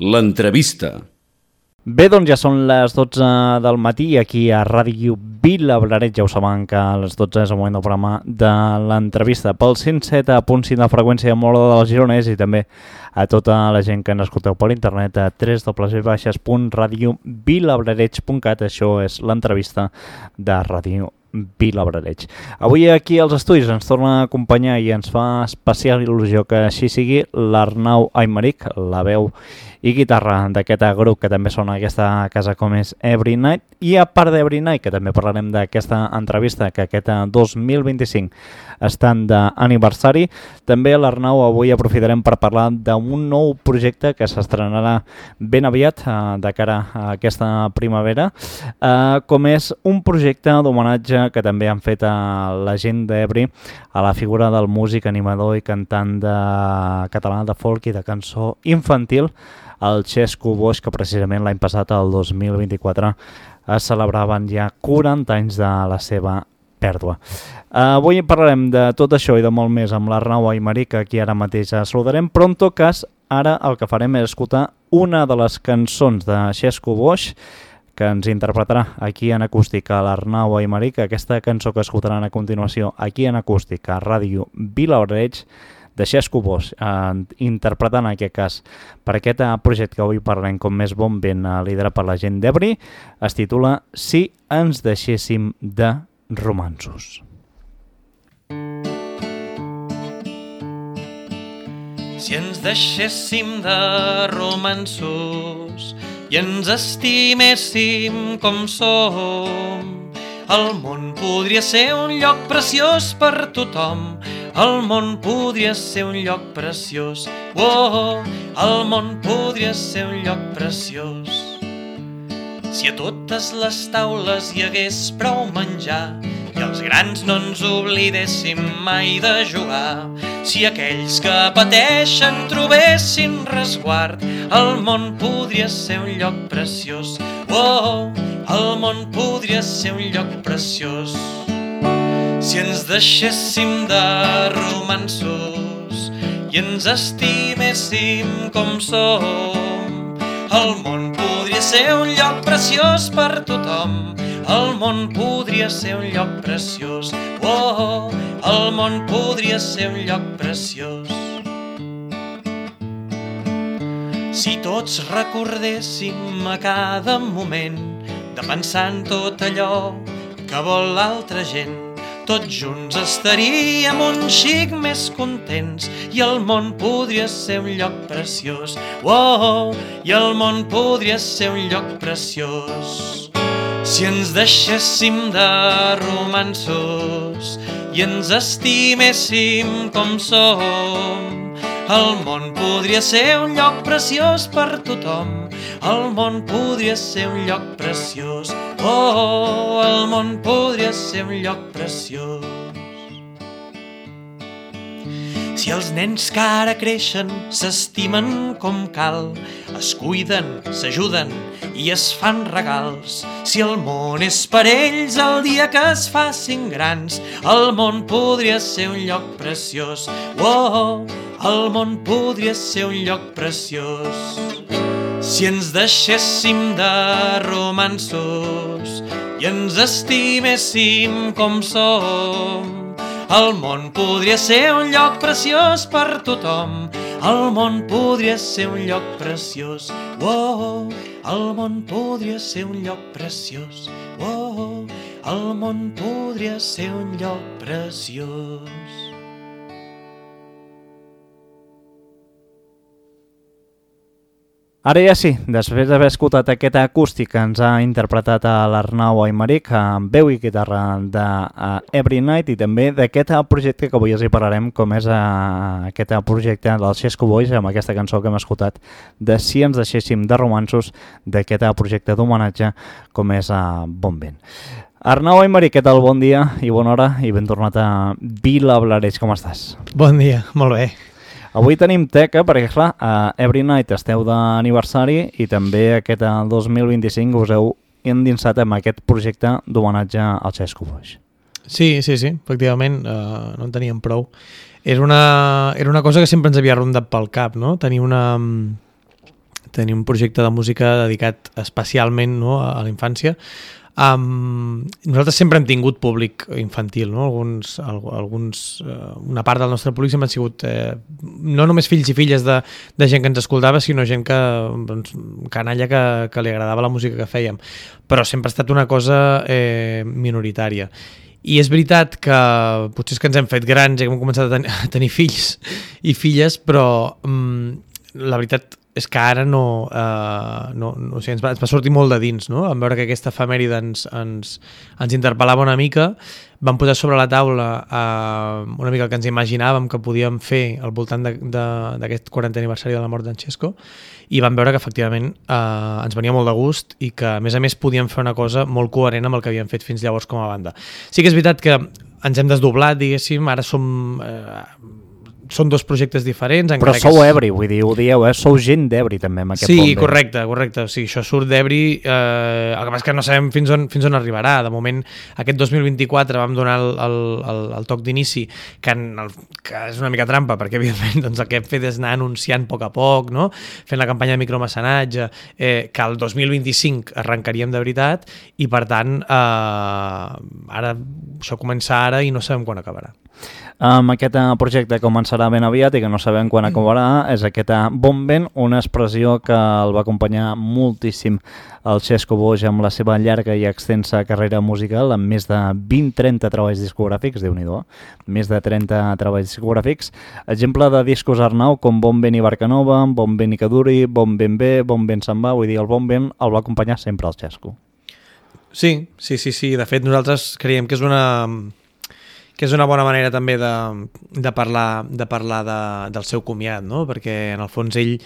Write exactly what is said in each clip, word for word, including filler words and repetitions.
L'entrevista. Bé, doncs ja són les dotze del matí i aquí a Ràdio Vilablareix ja ho saben que a les dotze és el moment del programa de l'entrevista pel cent set punt cinc de freqüència de Mola del Gironès i també a tota la gent que ens escolteu per internet a w w w punt radio vilablareix punt cat. Això és l'entrevista de Ràdio Vilablareix. Avui aquí als estudis ens torna a acompanyar i ens fa especial il·lusió que així sigui l'Arnau Aymeric, la veu i guitarra d'aquest grup que també sona aquesta casa com és Every Night, i a part d'Every Night, que també parlarem d'aquesta entrevista que aquest dos mil vint-i-cinc estan d'aniversari, també l'Arnau avui aprofitarem per parlar d'un nou projecte que s'estrenarà ben aviat eh, de cara a aquesta primavera, eh, com és un projecte d'homenatge que també han fet a la gent d'Every a la figura del músic, animador i cantant de català de folk i de cançó infantil, el Xesco Boix, que precisament l'any passat, el dos mil vint-i-quatre, es celebraven ja quaranta anys de la seva pèrdua. Avui parlarem de tot això i de molt més amb l'Arnau Aymeric, que aquí ara mateix saludarem, però en tot cas, ara el que farem és escoltar una de les cançons de Xesco Boix, que ens interpretarà aquí en acústic a l'Arnau Aymeric. Aquesta cançó que escoltaran a continuació aquí en acústic a Ràdio Vilablareix, de Xesco Boix, eh, interpretant en aquest cas per aquest projecte que avui parlem com més bon vent, eh, liderat per la gent d'Every, es titula Si ens deixéssim de romanços. Si ens deixéssim de romanços i ens estiméssim com som, el món podria ser un lloc preciós per tothom. El món podria ser un lloc preciós. Oh, el món podria ser un lloc preciós. Si a totes les taules hi hagués prou menjar i els grans no ens oblidéssim mai de jugar, si aquells que pateixen trobessin resguard, el món podria ser un lloc preciós. Oh, el món podria ser un lloc preciós. Si ens deixéssim de romanços i ens estiméssim com som, el món podria ser un lloc preciós per tothom. El món podria ser un lloc preciós. Oh, el món podria ser un lloc preciós. Si tots recordéssim a cada moment de pensar en tot allò que vol l'altra gent, tots junts estaríem un xic més contents i el món podria ser un lloc preciós. Oh, i el món podria ser un lloc preciós. Si ens deixéssim de romanços i ens estiméssim com som, el món podria ser un lloc preciós per tothom. El món podria ser un lloc preciós. Oh, el món podria ser un lloc preciós. Si els nens que ara creixen s'estimen com cal, es cuiden, s'ajuden i es fan regals, si el món és per ells el dia que es facin grans, el món podria ser un lloc preciós. Oh, el món podria ser un lloc preciós. Si ens deixéssim de romanços i ens estiméssim com som, el món podria ser un lloc preciós per tothom. El món podria ser un lloc preciós. Oh, el món podria ser un lloc preciós. Oh, el món podria ser un lloc preciós. Ara ja sí, després d'haver escoltat aquest acústic que ens ha interpretat a l'Arnau Aymeric amb veu i guitarra d'Every Night i també d'aquest projecte que avui els hi parlarem, com és aquest projecte del Xesco Boix amb aquesta cançó que hem escoltat de Si ens deixéssim de romanços, d'aquest projecte d'homenatge com és Bon Vent. Arnau Aymeric, què tal? Bon dia i bona hora i ben tornat a Vilablareix, com estàs? Bon dia, molt bé. Avui tenim teca perquè, clar, a Every Night esteu d'aniversari i també aquest dos mil vint-i-cinc us heu endinsat amb aquest projecte d'homenatge al Xesco Boix. Sí, sí, sí, efectivament, uh, no en teníem prou. Era una, era una cosa que sempre ens havia rondat pel cap, no? Tenir una, tenir un projecte de música dedicat especialment, no, a la infància. Um, nosaltres sempre hem tingut públic infantil, no? Alguns, alguns, uh, una part del nostre públic sempre han sigut eh, no només fills i filles de, de gent que ens escoltava, sinó gent que, doncs, canalla que, que li agradava la música que fèiem, però sempre ha estat una cosa eh, minoritària. I és veritat que potser és que ens hem fet grans i hem començat a, ten a tenir fills i filles, però um, la veritat és que ara no, uh, no, no o sigui, ens, va, ens va sortir molt de dins, no? En veure que aquesta efemèride ens, ens, ens interpel·lava una mica, vam posar sobre la taula uh, una mica el que ens imaginàvem que podíem fer al voltant d'aquest quarantè aniversari de la mort d'en Xesco, i vam veure que efectivament uh, ens venia molt de gust i que a més a més podíem fer una cosa molt coherent amb el que havíem fet fins llavors com a banda. Sí que és veritat que ens hem desdoblat, diguéssim, ara som... Uh, són dos projectes diferents. Però sou és... ebri, vull dir, ho dieu, eh? Sou gent d'Ebri també amb aquest sí, Bon Sí, correcte, correcte. Sí, això surt d'Ebri, eh, el que passa és que no sabem fins on, fins on arribarà. De moment, aquest dos mil vint-i-quatre vam donar el, el, el, el toc d'inici, que, que és una mica trampa, perquè evidentment doncs, el que hem fet és anar anunciant a poc a poc, no? Fent la campanya de micromecenatge, eh, que el dos mil vint-i-cinc arrencaríem de veritat, i per tant, eh, ara això comença ara i no sabem quan acabarà. Um, aquest uh, projecte començarà ben aviat i que no sabem quan acabarà, és aquest uh, Bon Vent, una expressió que el va acompanyar moltíssim el Xesco Boix amb la seva llarga i extensa carrera musical, amb més de vint trenta treballs discogràfics, Déu-n'hi-do, més de trenta treballs discogràfics. Exemple de discos Arnau com Bon Vent i Barcanova, Bon Vent i Caduri, Bon Vent B, Bon Vent se'n va, vull dir, el Bon Vent el va acompanyar sempre el Xesco. Sí, sí, sí, sí. De fet, nosaltres creiem que és una... que és una bona manera també de, de parlar, de parlar de, del seu comiat, no? Perquè en el fons ell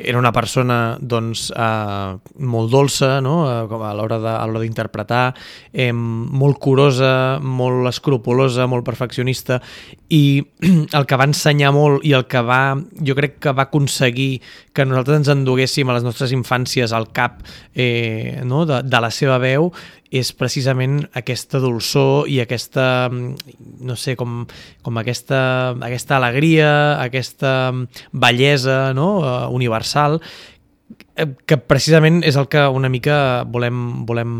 era una persona doncs, eh, molt dolça, no? a l'hora d'interpretar, eh, molt curosa, molt escrupulosa, molt perfeccionista, i el que va ensenyar molt i el que va, jo crec que va aconseguir que nosaltres ens enduguéssim a les nostres infàncies al cap eh, no? de, de la seva veu, és precisament aquesta dolçor i aquesta, no sé, com, com aquesta, aquesta alegria, aquesta bellesa, no? uh, universal, que precisament és el que una mica volem, volem,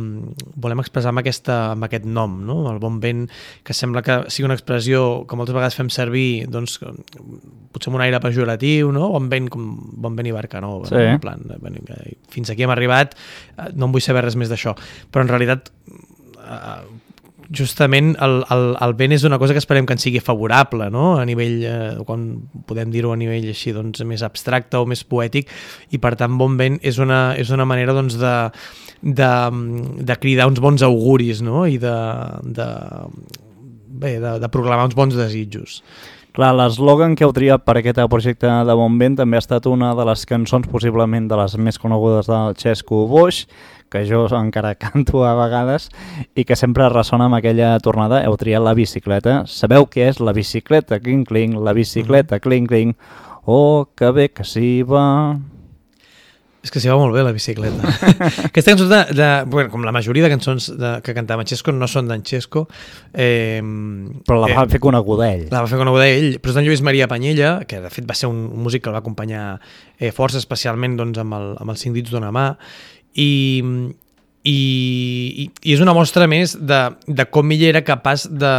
volem expressar amb, aquesta, amb aquest nom, no? El Bon Vent, que sembla que sigui una expressió que moltes vegades fem servir, doncs, potser amb un aire pejoratiu, no? Bon Vent, com Bon Vent i Barcanova, sí. No? En plan, fins aquí hem arribat, no en vull saber res més d'això, però en realitat justament el, el, el vent és una cosa que esperem que ens sigui favorable, no? A nivell, eh, quan podem dir-ho a nivell així, doncs, més abstracte o més poètic, i per tant Bon Vent és una, és una manera doncs, de, de, de cridar uns bons auguris, no? I de, de, bé, de, de proclamar uns bons desitjos. Clar, l'eslògan que heu triat per aquest projecte de Bon Vent també ha estat una de les cançons possiblement de les més conegudes del Xesco Boix, que jo encara canto a vegades i que sempre ressona amb aquella tornada. Heu triat La bicicleta. Sabeu què és la bicicleta? Cling, cling, la bicicleta, cling, cling. Oh, que bé que s'hi va... És que s'hi va molt bé, la bicicleta. Aquesta cançó, de, de, bueno, com la majoria de cançons de, que cantava en Xesco, no són d'en Xesco. Eh, però la va eh, fer coneguda ell. La va fer coneguda ell, però és d'en Lluís Maria Panyella, que de fet va ser un, un músic que el va acompanyar eh, força, especialment doncs, amb, el, amb els cinc dits d'una mà, i, i, i és una mostra més de, de com ell era capaç de,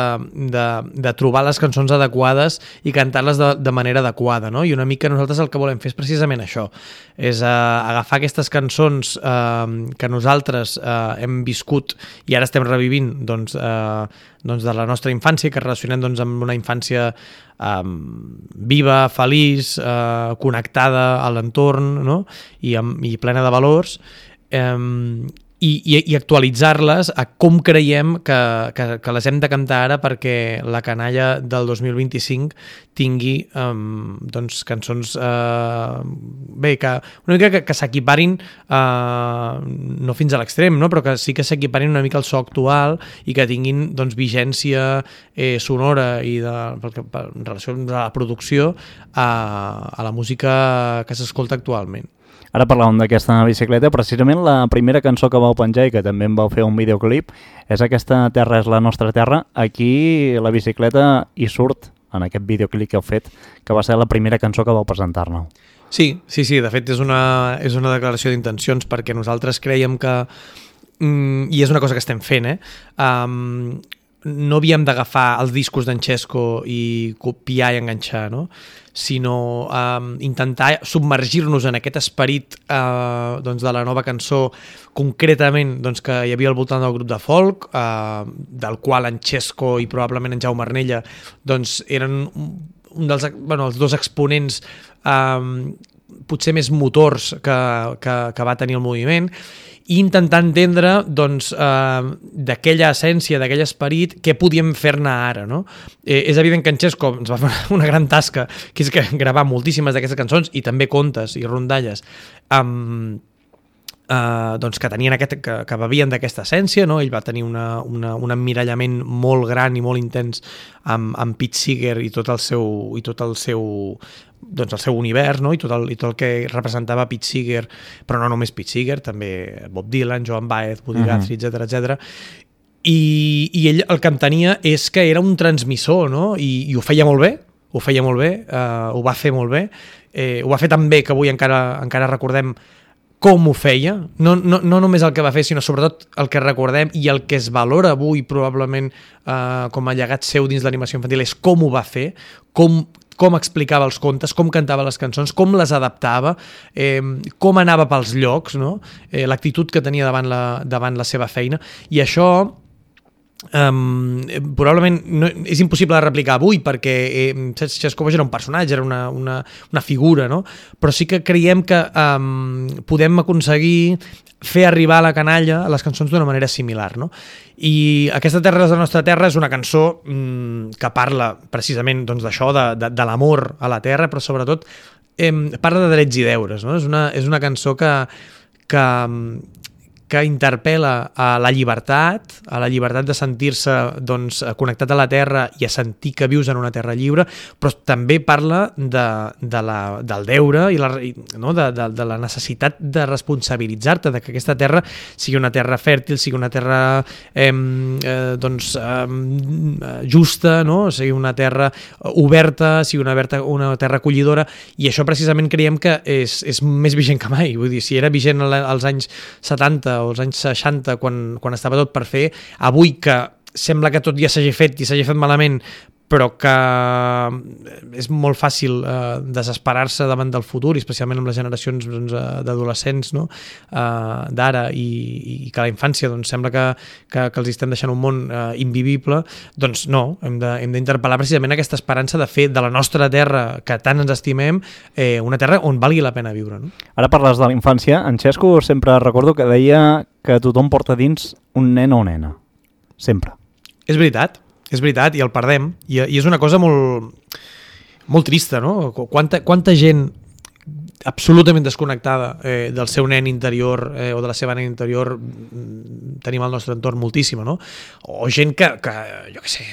de, de trobar les cançons adequades i cantar-les de, de manera adequada, no? I una mica nosaltres el que volem fer és precisament això, és uh, agafar aquestes cançons uh, que nosaltres uh, hem viscut i ara estem revivint doncs, uh, doncs de la nostra infància, que relacionem doncs, amb una infància um, viva, feliç, uh, connectada a l'entorn, no? I, amb, i plena de valors, um, i, i, i actualitzar-les a com creiem que, que, que les hem de cantar ara perquè la canalla del dos mil vint-i-cinc tingui um, doncs, cançons uh, bé, que una mica que, que s'equiparin uh, no fins a l'extrem, no? Però que sí que s'equiparin una mica al so actual i que tinguin doncs, vigència eh, sonora i de, en relació a la producció a, a la música que s'escolta actualment. Ara parlàvem d'aquesta bicicleta, precisament la primera cançó que vau penjar i que també en vau fer un videoclip és aquesta Terra és la nostra terra. Aquí la bicicleta hi surt en aquest videoclip que heu fet, que va ser la primera cançó que vau presentar-ne. Sí, sí, sí, de fet és una, és una declaració d'intencions perquè nosaltres creiem que, mm, i és una cosa que estem fent, eh? Um, no havíem d'agafar els discos d'en Xesco i copiar i enganxar, no? Sinó um, intentar submergir-nos en aquest esperit uh, doncs de la nova cançó, concretament doncs, que hi havia al voltant del grup de folk, uh, del qual en Xesco i probablement en Jaume Arnella doncs, eren un dels, bueno, els dos exponents um, potser més motors que, que, que va tenir el moviment, i intentar entendre doncs, eh, d'aquella essència, d'aquell esperit, què podíem fer-ne ara. No? Eh, és evident que en Xesco ens va fer una gran tasca, que és que gravar moltíssimes d'aquestes cançons, i també contes i rondalles, amb... Uh, doncs que tenien aquest, que, que bevien d'aquesta essència, no? Ell va tenir una, una, un emmirallament molt gran i molt intens amb, amb Pete Seeger i tot el seu, i tot el seu, doncs el seu univers, no? I, tot el, i tot el que representava Pete Seeger, però no només Pete Seeger, també Bob Dylan, Joan Baez, Buddy uh-huh. Guthrie, etcètera, etcètera. I, I ell el que entenia és que era un transmissor, no? I, i ho feia molt bé, ho feia molt bé, uh, ho va fer molt bé, eh, ho va fer tan bé que avui encara, encara recordem com ho feia, no, no, no només el que va fer, sinó sobretot el que recordem i el que es valora avui probablement eh, com a llegat seu dins l'animació infantil és com ho va fer, com, com explicava els contes, com cantava les cançons, com les adaptava, eh, com anava pels llocs, no? eh, l'actitud que tenia davant la, davant la seva feina, i això Um, probablement no, és impossible de replicar avui perquè eh, Xesco era un personatge, era una, una, una figura, no? Però sí que creiem que um, podem aconseguir fer arribar a la canalla a les cançons d'una manera similar, no? I Aquesta terra és la nostra terra és una cançó um, que parla precisament doncs, d'això, de, de, de l'amor a la terra, però sobretot eh, parla de drets i deures, no? És una, és una cançó que, que que interpel·la a la llibertat, a la llibertat de sentir-se doncs, connectat a la terra i a sentir que vius en una terra lliure, però també parla de, de la, del deure i la, no? de, de, de la necessitat de responsabilitzar-te, de que aquesta terra sigui una terra fèrtil, sigui una terra eh, eh, doncs, eh, justa, no? Sigui una terra oberta, sigui una, oberta, una terra acollidora, i això precisament creiem que és, és més vigent que mai. Vull dir, si era vigent als anys setanta o als anys seixanta, quan, quan estava tot per fer, avui que sembla que tot ja s'hagi fet i s'hagi fet malament, però que és molt fàcil eh, desesperar-se davant del futur, especialment amb les generacions doncs, d'adolescents, no? eh, d'ara, i, i que la infància doncs, sembla que, que, que els estem deixant un món eh, invivible, doncs no, hem de, hem d'interpel·lar precisament aquesta esperança de fer de la nostra terra, que tant ens estimem, eh, una terra on valgui la pena viure. No? Ara parles de la infància. En Xesco sempre recordo que deia que tothom porta dins un nen o nena. Sempre. És veritat. És veritat, i el perdem, i, i és una cosa molt, molt trista, no? Quanta, quanta gent absolutament desconnectada eh, del seu nen interior eh, o de la seva nena interior tenim al nostre entorn moltíssima, no? O gent que, que jo què sé,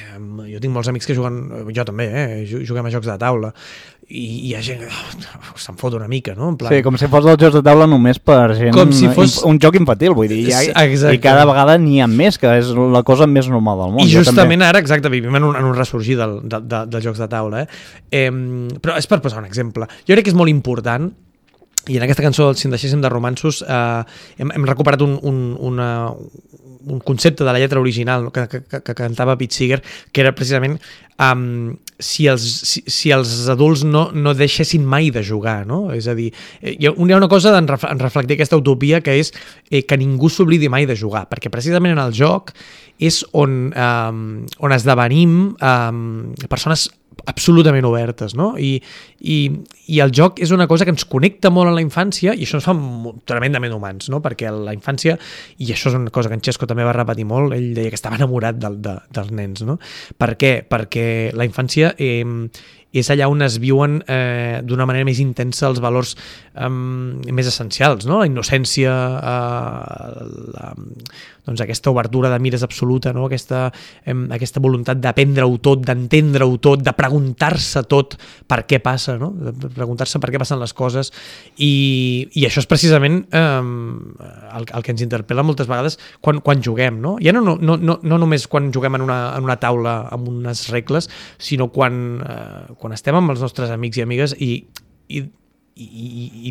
jo tinc molts amics que juguen, jo també, eh, juguem a jocs de taula, i hi ha gent que oh, se'n fot una mica, no? En plan... Sí, com si fos els jocs de taula només per gent... Com si fos... Un joc infantil, vull dir, ha... i cada vegada n'hi ha més, que és la cosa més normal del món. I justament ara, exacte, vivim en un, en un ressorgir del, de, de, dels jocs de taula, eh? eh? Però és per posar un exemple. Jo crec que és molt important, i en aquesta cançó, Si en deixéssim de romanços, eh, hem, hem recuperat un, un, una, un concepte de la lletra original, no? que, que, que cantava Pete Seeger, que era precisament um, si, els, si, si els adults no, no deixessin mai de jugar, no? És a dir, hi ha una cosa en, ref, en reflectir aquesta utopia, que és eh, que ningú s'oblidi mai de jugar, perquè precisament en el joc és on, um, on esdevenim um, persones absolutament obertes, no? I, i, i el joc és una cosa que ens connecta molt a la infància, i això ens fa tremendament humans, no? Perquè la infància, i això és una cosa que en Xesco també va repetir molt, ell deia que estava enamorat de, de, dels nens, no? Per què? Perquè la infància eh, és allà on es viuen eh, d'una manera més intensa els valors eh, més essencials, no? La innocència, eh, la, doncs aquesta obertura de mires absoluta, no? Aquesta, eh, aquesta voluntat d'aprendre-ho tot, d'entendre-ho tot, de preguntar-se tot per què passa, no? De preguntar-se per què passen les coses, i, i això és precisament eh, el, el que ens interpel·la moltes vegades quan, quan juguem, no? Ja no, no, no, no només quan juguem en una, en una taula amb unes regles, sinó quan, eh, quan estem amb els nostres amics i amigues i, i i,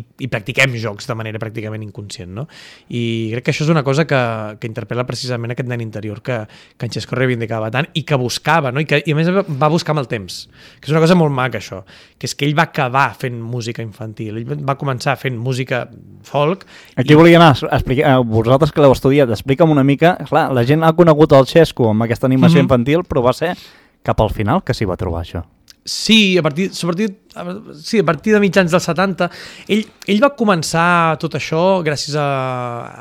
i, i practiquem jocs de manera pràcticament inconscient, no? I crec que això és una cosa que, que interpel·la precisament aquest nen interior que, que en Xesco reivindicava tant i que buscava, no? I, que, i a més va buscar amb el temps, que és una cosa molt maca això, que és que ell va acabar fent música infantil, ell va començar fent música folk. Aquí i... volia anar a explicar, vosaltres que l'heu estudiat, explica'm una mica, clar, la gent ha conegut el Xesco amb aquesta animació mm-hmm. infantil, però va ser cap al final que s'hi va trobar això. Sí, a partir, a partir, sí, a partir de mitjans dels setanta, ell, ell va començar tot això gràcies a,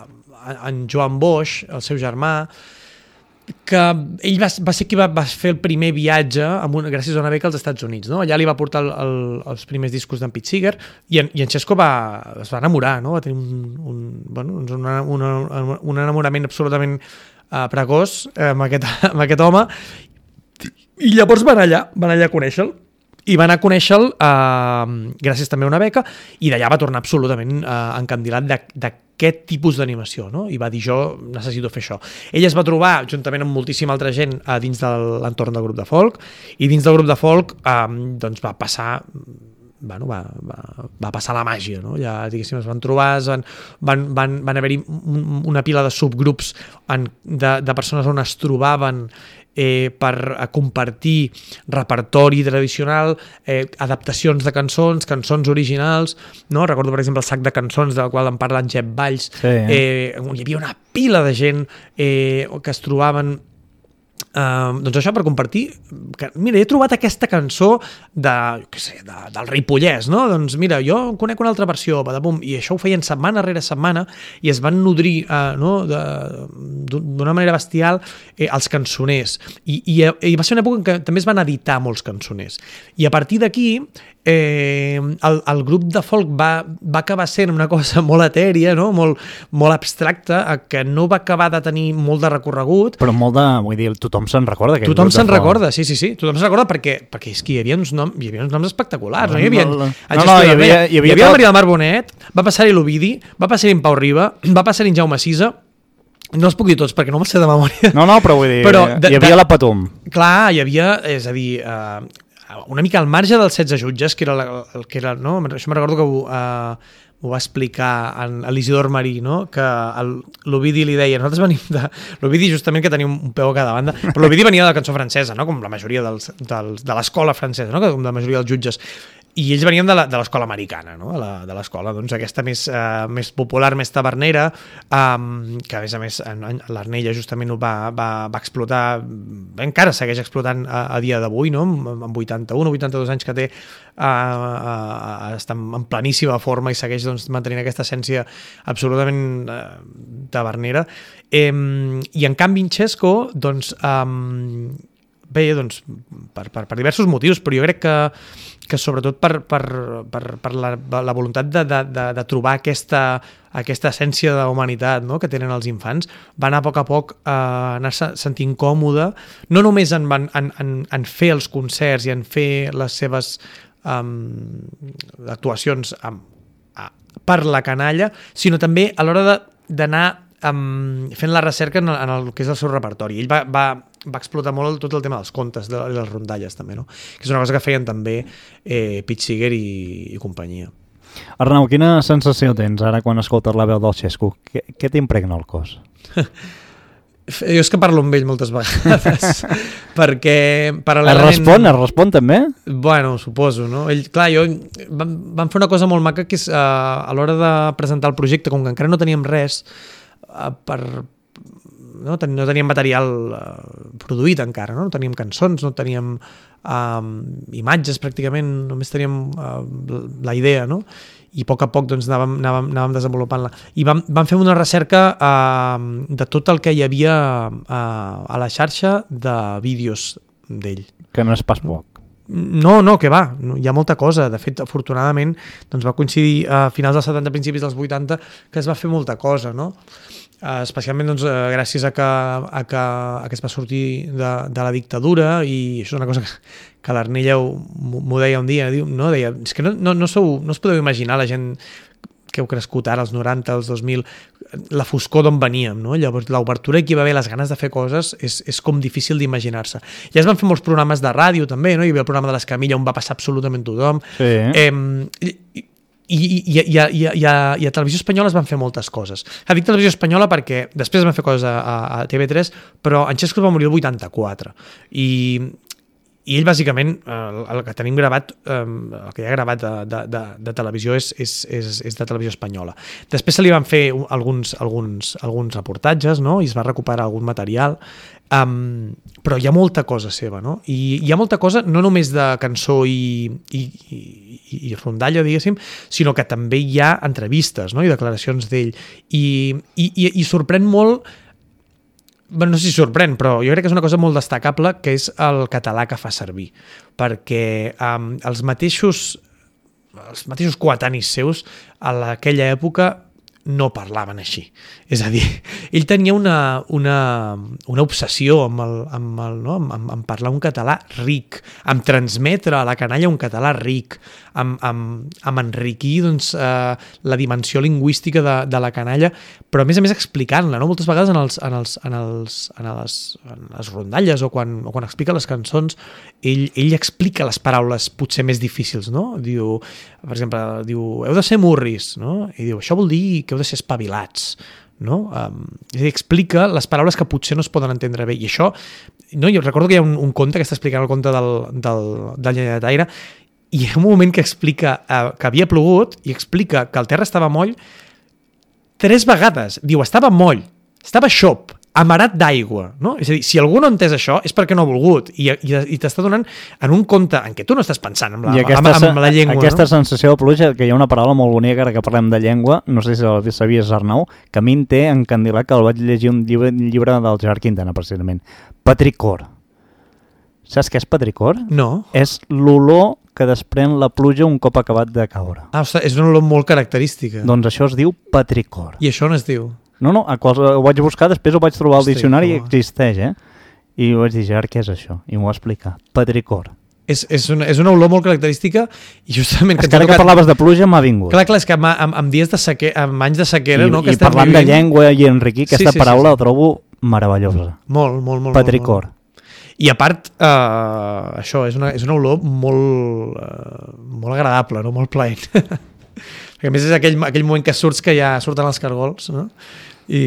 a, a en Joan Boix, el seu germà, que ell va, va ser qui va, va fer el primer viatge amb una, gràcies a una beca als Estats Units, no? Allà li va portar el, el, els primers discos d'en Pete Seeger i en, i en Xesco va, es va enamorar, no? Va tenir un, un, bueno, una, una, un enamorament absolutament uh, precoç eh, amb, aquest, amb aquest home. I llavors van allà, van allà a conèixer-lo i van a conèixer-lo eh, gràcies també a una beca i d'allà va tornar absolutament eh, encandilat d'aquest tipus d'animació, no? I va dir, jo necessito fer això. Ell es va trobar, juntament amb moltíssima altra gent, eh, dins de l'entorn del grup de folk i dins del grup de folk eh, doncs va passar... Bueno, va, va, va passar la màgia, no? Ja, diguéssim, es van trobar, es van, van, van, van haver-hi una pila de subgrups en, de, de persones on es trobaven eh, per compartir repertori tradicional, eh, adaptacions de cançons, cançons originals, no? Recordo, per exemple, el sac de cançons del qual en parla en Jep Valls, sí, eh? Eh, on hi havia una pila de gent eh, que es trobaven. Uh, doncs això per compartir que, mira, he trobat aquesta cançó de, què sé, de, del Ripollès, no? Doncs mira, jo conec una altra versió, badabum, i això ho feien setmana rere setmana i es van nodrir uh, no? d'una manera bestial eh, els cançoners I, i, i va ser una època en què també es van editar molts cançoners i a partir d'aquí eh, el, el grup de folk va, va acabar sent una cosa molt etèria, no? molt, molt abstracta, que no va acabar de tenir molt de recorregut. Però molt de, vull dir, tothom se'n recorda. Tothom se'n recorda, sí, sí, sí. Tothom se'n recorda perquè, perquè és que hi havia uns noms, hi havia uns noms espectaculars. No, no, hi havia, no, no, no, hi havia, hi havia, hi havia la Maria del Mar Bonet, va passar-hi l'Ovidi, va passar-hi en Pau Riba, va passar-hi en Jaume Sisa. No els puc dir tots perquè no me'l sé de memòria. No, no, però vull dir, però de, hi havia de, la Patum. Clar, hi havia, és a dir... Eh, una mica al marge dels setze jutges, que era, la, el que era, no? Això me'n recordo que ho, uh, ho va explicar en l'Isidor Marí, no? Que l'Ovidi li deia, nosaltres venim de... L'Ovidi justament que tenia un peu a cada banda, però l'Ovidi venia de la cançó francesa, no? Com la majoria dels, dels, de l'escola francesa, no? Com la majoria dels jutges. I ells venien de l'escola americana, no? De l'escola doncs, aquesta més, uh, més popular, més tavernera, um, que a més a més l'Arnella justament ho va, va, va explotar, encara segueix explotant a, a dia d'avui, no? Amb vuitanta-un o vuitanta-dos anys que té, uh, uh, està en pleníssima forma i segueix doncs, mantenint aquesta essència absolutament uh, tavernera. Um, I en canvi en Xesco, doncs, um, bé, doncs, per, per, per diversos motius, però jo crec que que sobretot per, per, per, per la, la voluntat de, de, de, de trobar aquesta, aquesta essència de la humanitat, no? Que tenen els infants, va anar a poc a poc a anar-se sentint còmode, no només en, en, en, en fer els concerts i en fer les seves um, actuacions um, per la canalla, sinó també a l'hora d'anar um, fent la recerca en el, en el que és el seu repertori. Ell va... va va explotar molt tot el tema dels contes, de les rondalles també, no? Que és una cosa que feien també eh, Pete Seeger i, i companyia. Arnau, quina sensació tens ara quan escoltes la veu del Xesco? Què, què t'impregna el cos? Jo és que parlo amb ell moltes vegades, perquè paral·lelament... Es respon, es respon també? Bueno, suposo, no? Ell, clar, jo... Vam, vam fer una cosa molt maca, que és uh, a l'hora de presentar el projecte, com que encara no teníem res uh, per... No, ten, no teníem material uh, produït encara, no? No teníem cançons, no teníem uh, imatges pràcticament, només teníem uh, la idea, no? I a poc a poc doncs, anàvem, anàvem, anàvem desenvolupant-la. I vam, vam fer una recerca uh, de tot el que hi havia uh, a la xarxa de vídeos d'ell. Que no és pas poc. No, no, que va, hi ha molta cosa. De fet, afortunadament, doncs va coincidir a finals dels setanta, principis dels vuitanta, que es va fer molta cosa, no? Uh, especialment doncs, uh, gràcies a que, a, que, a que es va sortir de, de la dictadura, i això és una cosa que, que l'Arnella m'ho deia un dia, diu, no, deia, és que no, no, no, sou, no us podeu imaginar la gent que heu crescut ara, als noranta, als dos mil, la foscor d'on veníem, no? Llavors l'obertura que hi va haver, les ganes de fer coses, és, és com difícil d'imaginar-se. Ja es van fer molts programes de ràdio també, no? Hi havia el programa de l'Escamilla on va passar absolutament tothom. Sí. Eh, i, i, i, i, a, i, a, i, a, i a Televisió Espanyola es van fer moltes coses. Ja dic Televisió Espanyola perquè després es van fer coses a, a, a T V tres, però en Xesco va morir el vuitanta-quatre i, i ell bàsicament el, el que tenim gravat, el que hi ha gravat de, de, de, de televisió és, és, és, és de Televisió Espanyola. Després se li van fer alguns, alguns, alguns reportatges, no? I es va recuperar algun material, um, però hi ha molta cosa seva, no? I hi ha molta cosa no només de cançó i, i, i, i rondalla, diguéssim, sinó que també hi ha entrevistes, no? I declaracions d'ell. I, i, i, i sorprèn molt. Bueno, no sé si sorprèn, però jo crec que és una cosa molt destacable, que és el català que fa servir, perquè um, els mateixos els mateixos coetanis seus a aquella època no parlaven així. És a dir, ell tenia una, una, una obsessió amb, el, amb, el, no? amb, amb parlar un català ric, amb transmetre a la canalla un català ric, amb, amb, amb enriquir doncs, eh, la dimensió lingüística de, de la canalla, però a més a més explicant-la, no? Moltes vegades en, els, en, els, en, els, en, les, en les rondalles o quan, o quan explica les cançons, ell, ell explica les paraules potser més difícils, no? Diu, per exemple, diu, heu de ser murris, no? I diu, això vol dir que heu de ser espavilats, no? Um, és a dir, explica les paraules que potser no es poden entendre bé, i això, no? Jo recordo que hi ha un, un conte que està explicant el conte del, del, del Llenyataire, i hi ha un moment que explica uh, que havia plogut i explica que el terra estava moll tres vegades. Diu, estava moll, estava xop, amarat d'aigua, no? És a dir, si algú no ha entès això és perquè no ha volgut, i, i, i t'està donant en un conte en què tu no estàs pensant en la, aquesta, amb, amb la llengua. Aquesta no? sensació de pluja, que hi ha una paraula molt bonica, ara que parlem de llengua, no sé si sabies, Arnau, que a mi em té encandilat, que el vaig llegir un llibre, un llibre del Gerard Quintana, precisament. Petricor. Saps què és petricor? No. És l'olor que desprèn la pluja un cop acabat de caure. Ah, ostres, és una olor molt característica. Doncs això es diu petricor. I això on es diu? No, no, a quals, ho vaig buscar, després ho vaig trobar al Hosti, diccionari i no. existeix, eh? I vaig dir, Gerard, què és això? I m'ho va explicar. Petricor. És, és, una, és una olor molt característica i justament... És que ara que parlaves de pluja m'ha vingut. Clar, clar, és que amb, amb, amb dies de sequera, amb anys de sequera... I, no, que i parlant vivint... de llengua i enriquir, aquesta sí, sí, paraula sí, sí. la trobo meravellosa. Molt, molt, molt. Petricor. Molt, molt. I a part, eh, això, és una, és una olor molt, eh, molt agradable, no? Molt plaent. Perquè a més és aquell, aquell moment que surts que ja surten els cargols, no? I,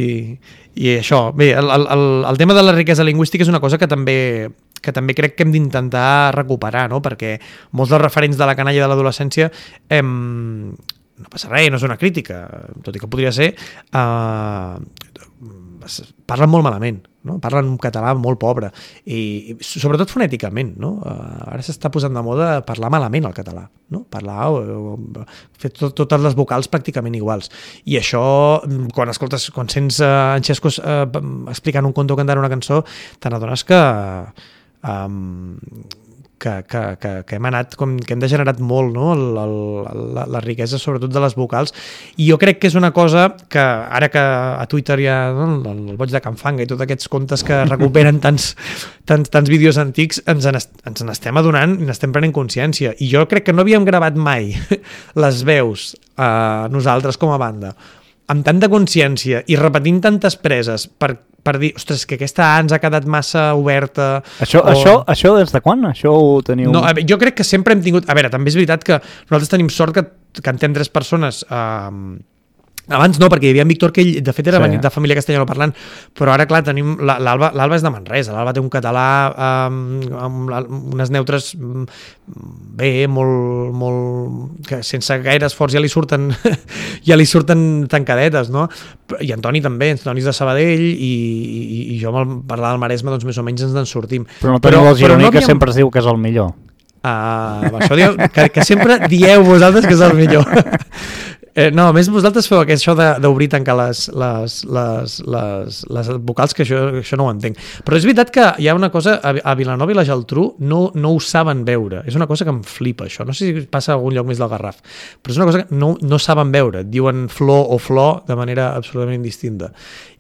i això, bé, el, el, el tema de la riquesa lingüística és una cosa que també, que també crec que hem d'intentar recuperar, no? Perquè molts dels referents de la canalla de l'adolescència em, no passa res, no és una crítica, tot i que podria ser, eh, parlen molt malament, no? Parlen un català molt pobre i sobretot fonèticament, no? Uh, ara s'està posant de moda parlar malament el català, no? Parlar o, o fer tot, totes les vocals pràcticament iguals, i això quan escoltes, quan sents uh, en Xesco uh, explicant un conte o cantant una cançó, te n'adones que um, que, que, que, que hem anat, com, que hem degenerat molt, no? el, el, la, la riquesa sobretot de les vocals, i jo crec que és una cosa que ara que a Twitter hi ha, no? el, el boig de Can Fanga i tots aquests contes que recuperen tants, tants, tants vídeos antics, ens ens n'estem adonant i n'estem prenent consciència, i jo crec que no havíem gravat mai les veus eh, nosaltres com a banda amb tanta consciència i repetint tantes preses per, per dir, ostres, que aquesta A ens ha quedat massa oberta. Això, o... això, això des de quan? Això ho teniu... No, a veure, jo crec que sempre hem tingut... A veure, també és veritat que nosaltres tenim sort que, que en tem tres persones... Eh, abans no, perquè hi havia en Víctor, que ell de fet era sí. de família castellano parlant, però ara clar, tenim l'Alba, l'Alba és de Manresa, l'Alba té un català eh, amb unes neutres bé, molt, molt que sense gaire esforç ja li surten ja li surten tancadetes, no? I Antoni també, Antoni és de Sabadell i, i, i jo amb parlar del Maresme doncs més o menys ens en sortim. Però no teniu el gironí, no havíem... que sempre es diu que és el millor. Uh, això dieu, que, que sempre dieu vosaltres que és el millor. Eh, no, a més vosaltres feu això d'obrir i tancar les, les, les, les, les vocals, que això, això no ho entenc. Però és veritat que hi ha una cosa, a Vilanova i la Geltrú no, no ho saben veure. És una cosa que em flipa, això. No sé si passa a algun lloc més del Garraf, però és una cosa que no, no saben veure. Diuen flor o flor de manera absolutament indistinta.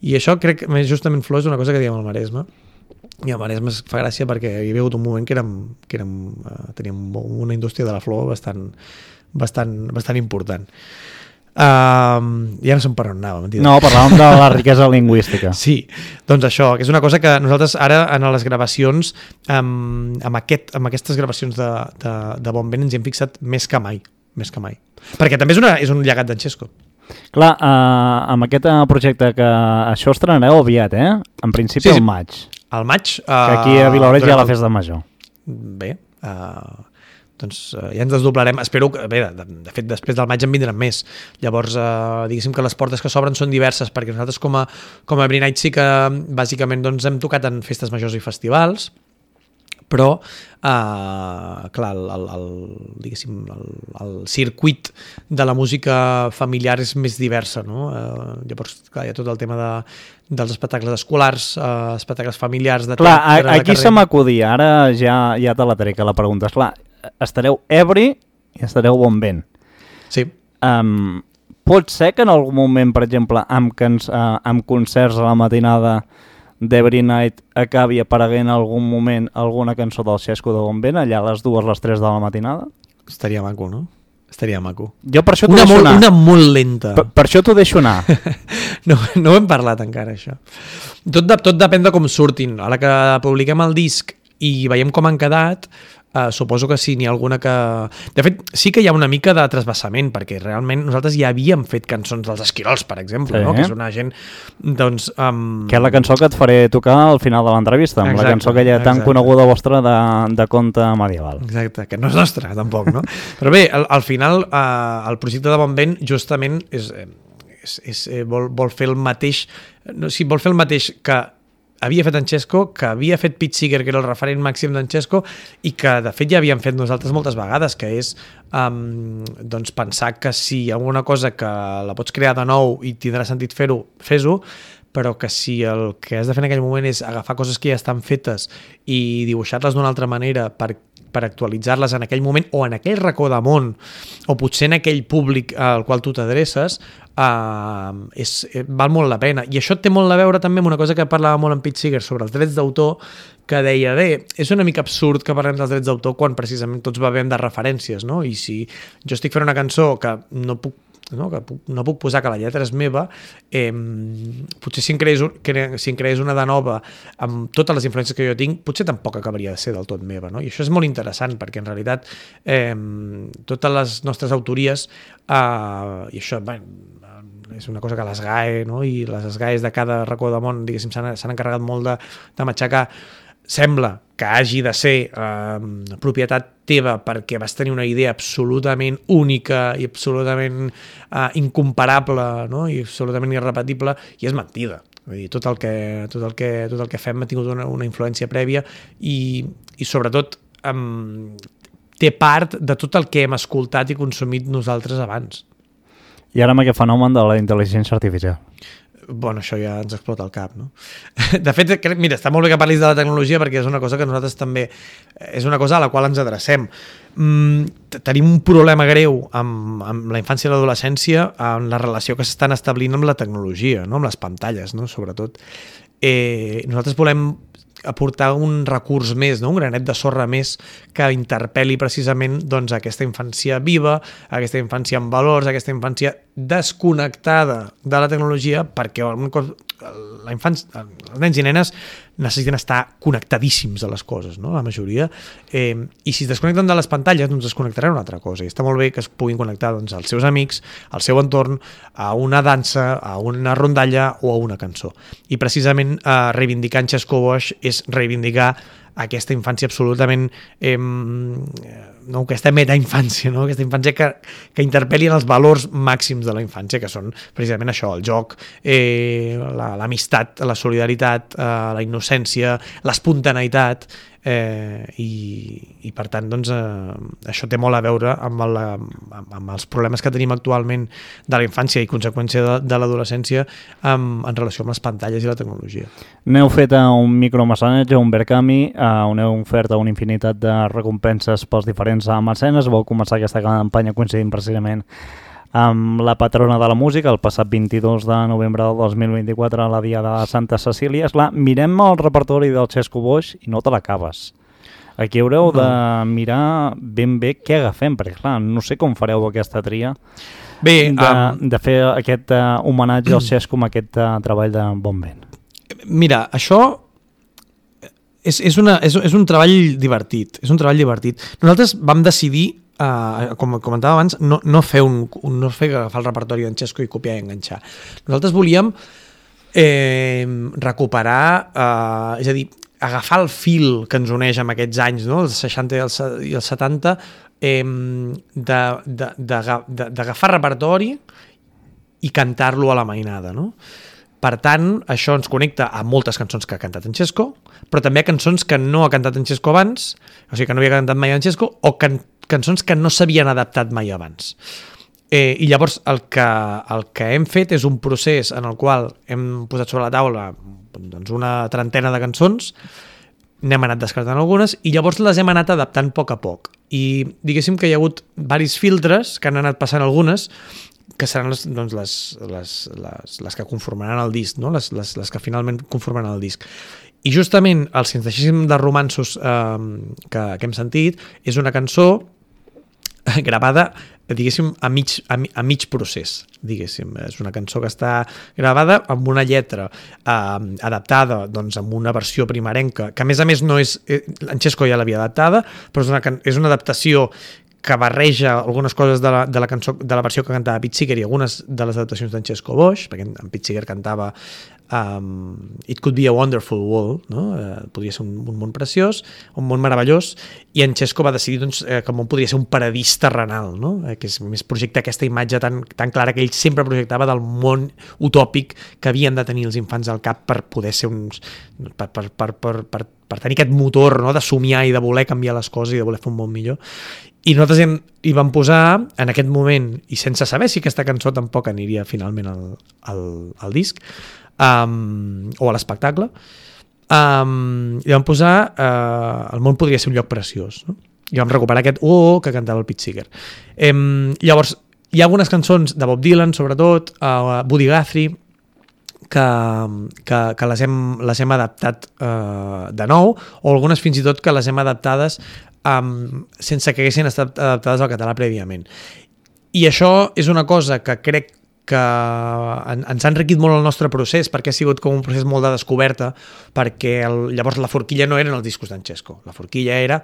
I això crec que justament flor és una cosa que diem al Maresme. I al Maresme es fa gràcia perquè hi havia hagut un moment que, érem, que érem, uh, teníem una indústria de la flor bastant, bastant, bastant important. Uh, ja no sé per on anava, mentida. No, parlàvem de la riquesa lingüística. Sí, doncs això, que és una cosa que nosaltres ara en les gravacions, um, amb, aquest, amb aquestes gravacions de, de, de Bon Vent ens hi hem fixat més que mai, més que mai. Perquè també és, una, és un llegat d'en Xesco. Clar, uh, amb aquest projecte que això estrenareu aviat, eh? En principi Sí, sí. al maig. Al maig... Uh, Que aquí a Vilaoreig hi ha la festa major. Bé, uh, doncs uh, ja ens desdoblarem. Espero que, bé, de, de fet, després del maig en vindran més. Llavors, uh, diguéssim que les portes que s'obren són diverses, perquè nosaltres com a, com a Every Night sí que bàsicament doncs, hem tocat en festes majors i festivals, però uh, clar, el, el, el, diguéssim, el, el circuit de la música familiar és més diversa, no? Uh, llavors, clar, hi ha tot el tema de, dels espectacles escolars, uh, espectacles familiars de Clar, teatre, de aquí carrer. se m'acudia, ara ja, ja te la trec a la pregunta. Esclar, estareu ebri i estareu bon vent. Sí. Um, pot ser que en algun moment, per exemple, amb, cans, uh, amb concerts a la matinada d'Every Night acabi apareguent en algun moment alguna cançó del Xesco de Bon Vent, allà a les dues, les tres de la matinada? Estaria maco, no? Estaria maco. Jo per això t'ho Una deixo molt, anar. una molt lenta. Per, per això t'ho deixo anar. No, no ho hem parlat encara, això. Tot, de, tot depèn de com surtin. A la que publiquem el disc i veiem com han quedat, uh, suposo que sí, n'hi ha alguna que... De fet, sí que hi ha una mica de trasbassament, perquè realment nosaltres ja havíem fet cançons dels Esquirols, per exemple, Sí. no? Que és una gent, doncs... Um... Que és la cançó que et faré tocar al final de l'entrevista, amb Exacte, la cançó aquella tan exacte. coneguda vostra de, de conte medieval. Exacte, que no és nostra, tampoc, no? Però bé, al, al final, eh, el projecte de Bon Vent justament és, eh, és, és, eh, vol, vol fer el mateix... No, sí, vol fer el mateix que havia fet en Xesco, que havia fet Pete Seeger, que era el referent màxim d'en Xesco, i que, de fet, ja havíem fet nosaltres moltes vegades, que és um, doncs pensar que si hi ha alguna cosa que la pots crear de nou i tindrà sentit fer-ho, fes-ho, però que si el que has de fer en aquell moment és agafar coses que ja estan fetes i dibuixar-les d'una altra manera per, per actualitzar-les en aquell moment o en aquell racó de món o potser en aquell públic al qual tu t'adreces, uh, és, val molt la pena. I això té molt a veure també amb una cosa que parlava molt en Pete Seeger sobre els drets d'autor, que deia, bé, és una mica absurd que parlem dels drets d'autor quan precisament tots bevem de referències, no? I si jo estic fent una cançó que no puc No, que puc, no puc posar que la lletra és meva, eh, potser si en, creés un, cre, si en creés una de nova amb totes les influències que jo tinc, potser tampoc acabaria de ser del tot meva, no? I això és molt interessant perquè en realitat eh, totes les nostres autories eh, i això, bé, és una cosa que les G A E, no? I les S G A Es de cada racó del món, diguéssim, s'han encarregat molt de, de matxacar. Sembla que hagi de ser eh, propietat teva perquè vas tenir una idea absolutament única i absolutament eh, incomparable, no? I absolutament irrepetible, i és mentida. Vull dir, tot el que, tot el que, tot el que fem ha tingut una, una influència prèvia i, i sobretot eh, té part de tot el que hem escoltat i consumit nosaltres abans. I ara amb aquest fenomen de la intel·ligència artificial. Bueno, això ja ens explota el cap, no? De fet, crec, mira, està molt bé que parlis de la tecnologia perquè és una cosa que nosaltres també... És una cosa a la qual ens adrecem. Mm, tenim un problema greu amb, amb la infància i l'adolescència en la relació que s'estan establint amb la tecnologia, no? Amb les pantalles, no? Sobretot. Eh, nosaltres volem aportar un recurs més, no? Un granet de sorra més que interpel·li precisament doncs, aquesta infància viva, aquesta infància amb valors, aquesta infància desconnectada de la tecnologia, perquè la infància, els nens i nenes necessiten estar connectadíssims a les coses, no? La majoria. Eh, I si es desconnecten de les pantalles, doncs es connectaran a una altra cosa. I està molt bé que es puguin connectar doncs, als seus amics, al seu entorn, a una dansa, a una rondalla o a una cançó. I precisament eh, reivindicar en Xesco Boix és reivindicar aquesta infància absolutament eh, no, aquesta metainfància, no? Aquesta infància que, que interpel·li en els valors màxims de la infància, que són precisament això, el joc, eh, l'amistat, la solidaritat, eh, la innocència, l'espontaneïtat, eh, i, i per tant doncs, eh, això té molt a veure amb, el, amb, amb els problemes que tenim actualment de la infància i conseqüència de, de l'adolescència amb, en relació amb les pantalles i la tecnologia. N'heu fet un micromecenatge, un Berkami, uh, on heu ofert una infinitat de recompenses pels diferents mecenes. Vau començar aquesta campanya coincidint precisament amb la patrona de la música, el passat vint-i-dos de novembre del dos mil vint-i-quatre, a la dia de Santa Cecília. Esclar, mirem el repertori del Xesco Boix i no te l'acabes. Aquí haureu de mirar ben bé què agafem, perquè clar, no sé com fareu aquesta tria bé, de, um... de fer aquest uh, homenatge al Xesco amb aquest uh, treball de Bon Vent. Mira, això és, és, una, és, és un treball divertit, és un treball divertit. Nosaltres vam decidir uh, com comentava abans, no, no fer, un, un, no fer agafar el repertori d'en Xesco i copiar i enganxar. Nosaltres volíem eh, recuperar, uh, és a dir, agafar el fil que ens uneix amb aquests anys, no? Els seixanta i els, i els setanta, eh, d'agafar repertori i cantar-lo a la mainada, no? Per tant, això ens connecta a moltes cançons que ha cantat en Xesco, però també a cançons que no ha cantat en Xesco abans, o sigui, que no havia cantat mai en Xesco, o can cançons que no s'havien adaptat mai abans. Eh, I llavors el que, el que hem fet és un procés en el qual hem posat sobre la taula doncs, una trentena de cançons, n'hem anat descartant algunes i llavors les hem anat adaptant a poc a poc. I diguéssim que hi ha hagut diversos filtres que han anat passant algunes, que seran les, doncs, les, les, les, les que conformaran el disc, no? les, les, les que finalment conformaran el disc. I justament el Si ens deixéssim de romanços eh, que, que hem sentit és una cançó gravada, diguéssim, a mig, a, a mig procés, diguéssim. És una cançó que està gravada amb una lletra eh, adaptada doncs, amb una versió primerenca, que a més a més no és... Eh, en Xesco ja l'havia adaptada, però és una, és una adaptació que barreja algunes coses de la, de la cançó, de la versió que cantava Pete Seeger i algunes de les adaptacions d'en Xesco Boix, perquè en Pete Seeger cantava um, It Could Be a Wonderful World, no? Uh, podria ser un, un món preciós, un món meravellós, i en Xesco va decidir doncs, eh, que el món podria ser un paradís terrenal, no? eh, que és més projecta aquesta imatge tan, tan clara que ell sempre projectava del món utòpic que havien de tenir els infants al cap per poder ser uns... per, per, per, per, per, per tenir aquest motor, no? De somiar i de voler canviar les coses i de voler fer un món millor. I nosaltres hem, hi vam posar, en aquest moment, i sense saber si aquesta cançó tampoc aniria finalment al, al, al disc, um, o a l'espectacle, um, hi vam posar uh, El món podria ser un lloc preciós, no? I vam recuperar aquest oh, oh que cantava el Pete Seeger. Um, llavors, hi ha algunes cançons de Bob Dylan, sobretot, uh, Buddy Guthrie, que, que, que les, hem, les hem adaptat uh, de nou, o algunes fins i tot que les hem adaptades Um, sense que haguessin estat adaptades al català prèviament. I això és una cosa que crec que en, ens ha enriquit molt el nostre procés, perquè ha sigut com un procés molt de descoberta, perquè el, llavors la forquilla no eren els discos d'en Xesco, la forquilla era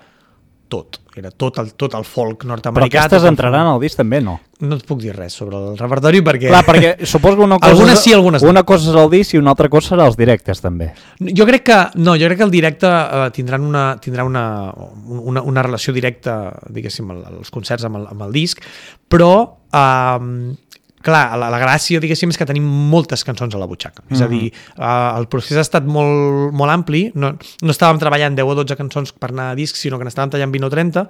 tot, era tot el, tot el folk nord-americà. Però aquestes entraran al disc també, no? No et puc dir res sobre el repertori perquè... Clar, perquè suposo que una cosa, algunes sí, algunes no. Una cosa és el disc i una altra cosa serà els directes també. Jo crec que no, jo crec que el directe uh, tindran una, tindrà una, una, una relació directa, diguéssim, els concerts amb el, amb el disc, però... Uh, clar, la, la gràcia, diguéssim, és que tenim moltes cançons a la butxaca. Mm-hmm. És a dir, uh, el procés ha estat molt, molt ampli, no, no estàvem treballant deu o dotze cançons per anar a disc, sinó que n'estàvem tallant vint o trenta,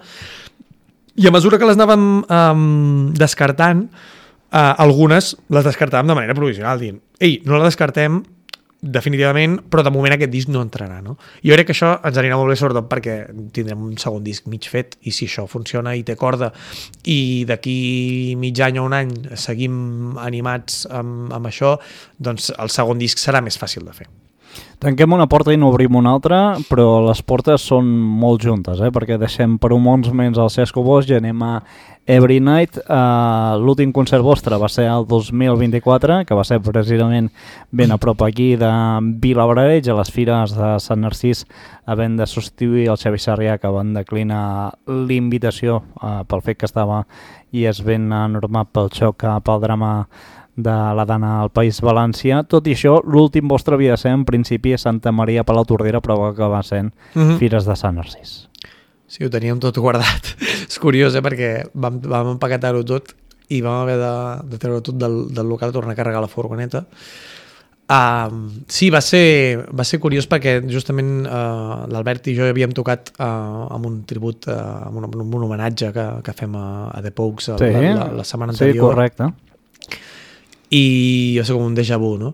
i a mesura que les anàvem um, descartant, uh, algunes les descartàvem de manera provisional, dient, ei, no la descartem definitivament, però de moment aquest disc no entrarà, no? Jo crec que això ens anirà molt bé, sobretot perquè tindrem un segon disc mig fet, i si això funciona i té corda i d'aquí mig any o un any seguim animats amb, amb això, doncs el segon disc serà més fàcil de fer. Tanquem una porta i n'obrim una altra, però les portes són molt juntes, eh? Perquè deixem per un moments menys el Xesco Boix i anem a Every Night. Uh, l'últim concert vostre va ser el dos mil vint-i-quatre, que va ser precisament ben a prop aquí de Vilablareix, a les fires de Sant Narcís, havent de substituir el Xavi Sarrià, que van declinar l'invitació uh, pel fet que estava i és ben normat pel xoc pel drama de la Dana al País València. Tot i això, l'últim vostre havia de ser en principi a Santa Maria Palau Tordera, però va acabar sent uh-huh. Fires de Sant Narcís. Sí, ho teníem tot guardat. És curiós, eh? Perquè vam, vam empaquetar-ho tot i vam haver de, de treure tot del, del local, tornar a carregar la furgoneta. Uh, sí, va ser, va ser curiós perquè justament uh, l'Albert i jo havíem tocat uh, amb un tribut, uh, amb, un, amb un homenatge que, que fem a, a The Pogues sí, la, la, la setmana anterior. Sí, correcte. I jo sé com un déjà vu, no?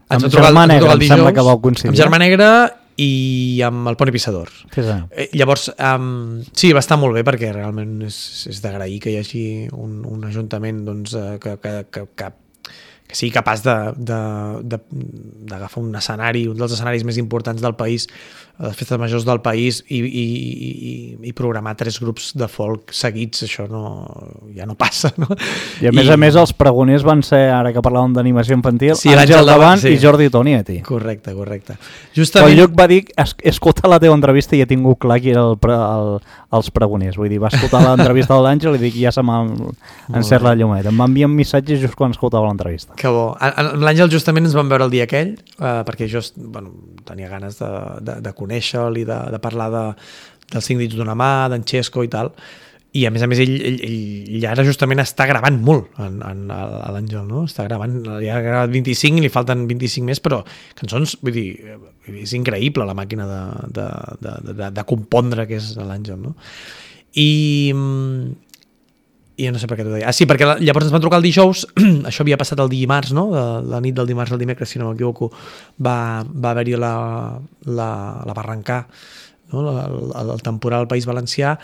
Ens amb Germà Negra, em sembla que vau coincidir. Amb Germà Negra i amb el Poni Pissador. Sí, sí. Eh, llavors, um, sí, va estar molt bé perquè realment és, és d'agrair que hi hagi un, un ajuntament doncs, que, que, que, que, que sigui capaç d'agafar un escenari, un dels escenaris més importants del país, les festes majors del país, i, i, i, i programar tres grups de folk seguits, això no, ja no passa, no? I a més I... a més els pregoners van ser, ara que parlàvem d'animació infantil, sí, Àngel Davant sí. i Jordi Tonietti. Correcte, correcte. Justament... Quan Lluc va dir, he escoltat la teva entrevista i he tingut clar qui era el, el, els pregoners, vull dir, va escoltar l'entrevista de l'Àngel i dic, ja se m'ha encert la llumeta. Em va enviar un missatge just quan escoltava l'entrevista. Que bo. L'Àngel justament ens vam veure el dia aquell, eh, perquè jo bueno, tenia ganes de, de, de conèixer-lo i de, de parlar de, dels cinc dits d'una mà, d'en Xesco i tal, i a més a més ell, ell, ell ara justament està gravant molt en, en, a l'Àngel, no? Està gravant, ja ha gravat vint-i-cinc i li falten vint-i-cinc més, però cançons, vull dir, és increïble la màquina de, de, de, de, de compondre que és l'Àngel, no? I, i no sé per què t'ho deia. Ah, sí, perquè la, llavors ens van trucar el dijous, això havia passat el dimarts, no? De, la nit del dimarts al dimecres, si no m'equivoco, va, va haver-hi la, la, la barrancar, no? la, el, el temporal al País Valencià,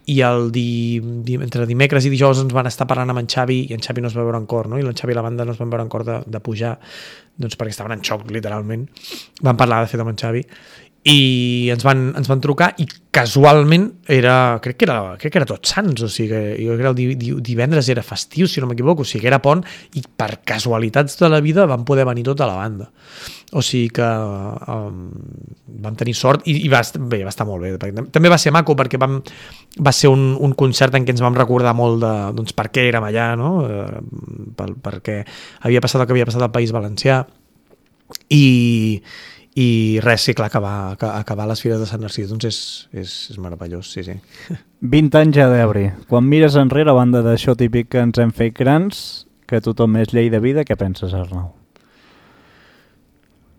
i el di, di, entre dimecres i dijous ens van estar parlant amb en Xavi i en Xavi no es va veure en cor, no? I en Xavi i la banda no es van veure en cor de, de pujar, doncs perquè estaven en xoc, literalment. Van parlar de fet amb en Xavi i ens van, ens van trucar i casualment era, crec que era, crec que era Tots Sants, o sigui, jo crec que el di, di, divendres era festiu, si no m'equivoco, o sigui que era pont i per casualitats de la vida van poder venir tota la banda. O sigui que um, vam tenir sort i, i va, bé, va estar molt bé. També va ser maco perquè vam, va ser un, un concert en què ens vam recordar molt de doncs, per què érem allà, no? Eh, per, perquè havia passat el que havia passat al País Valencià i i res, sí, clar, acabar, acabar les Fires de Sant Narcís doncs és, és, és meravellós, sí, sí. vint anys ja d'Ebri. Quan mires enrere, a banda d'això típic que ens hem fet grans, que tothom és llei de vida, què penses, Arnau?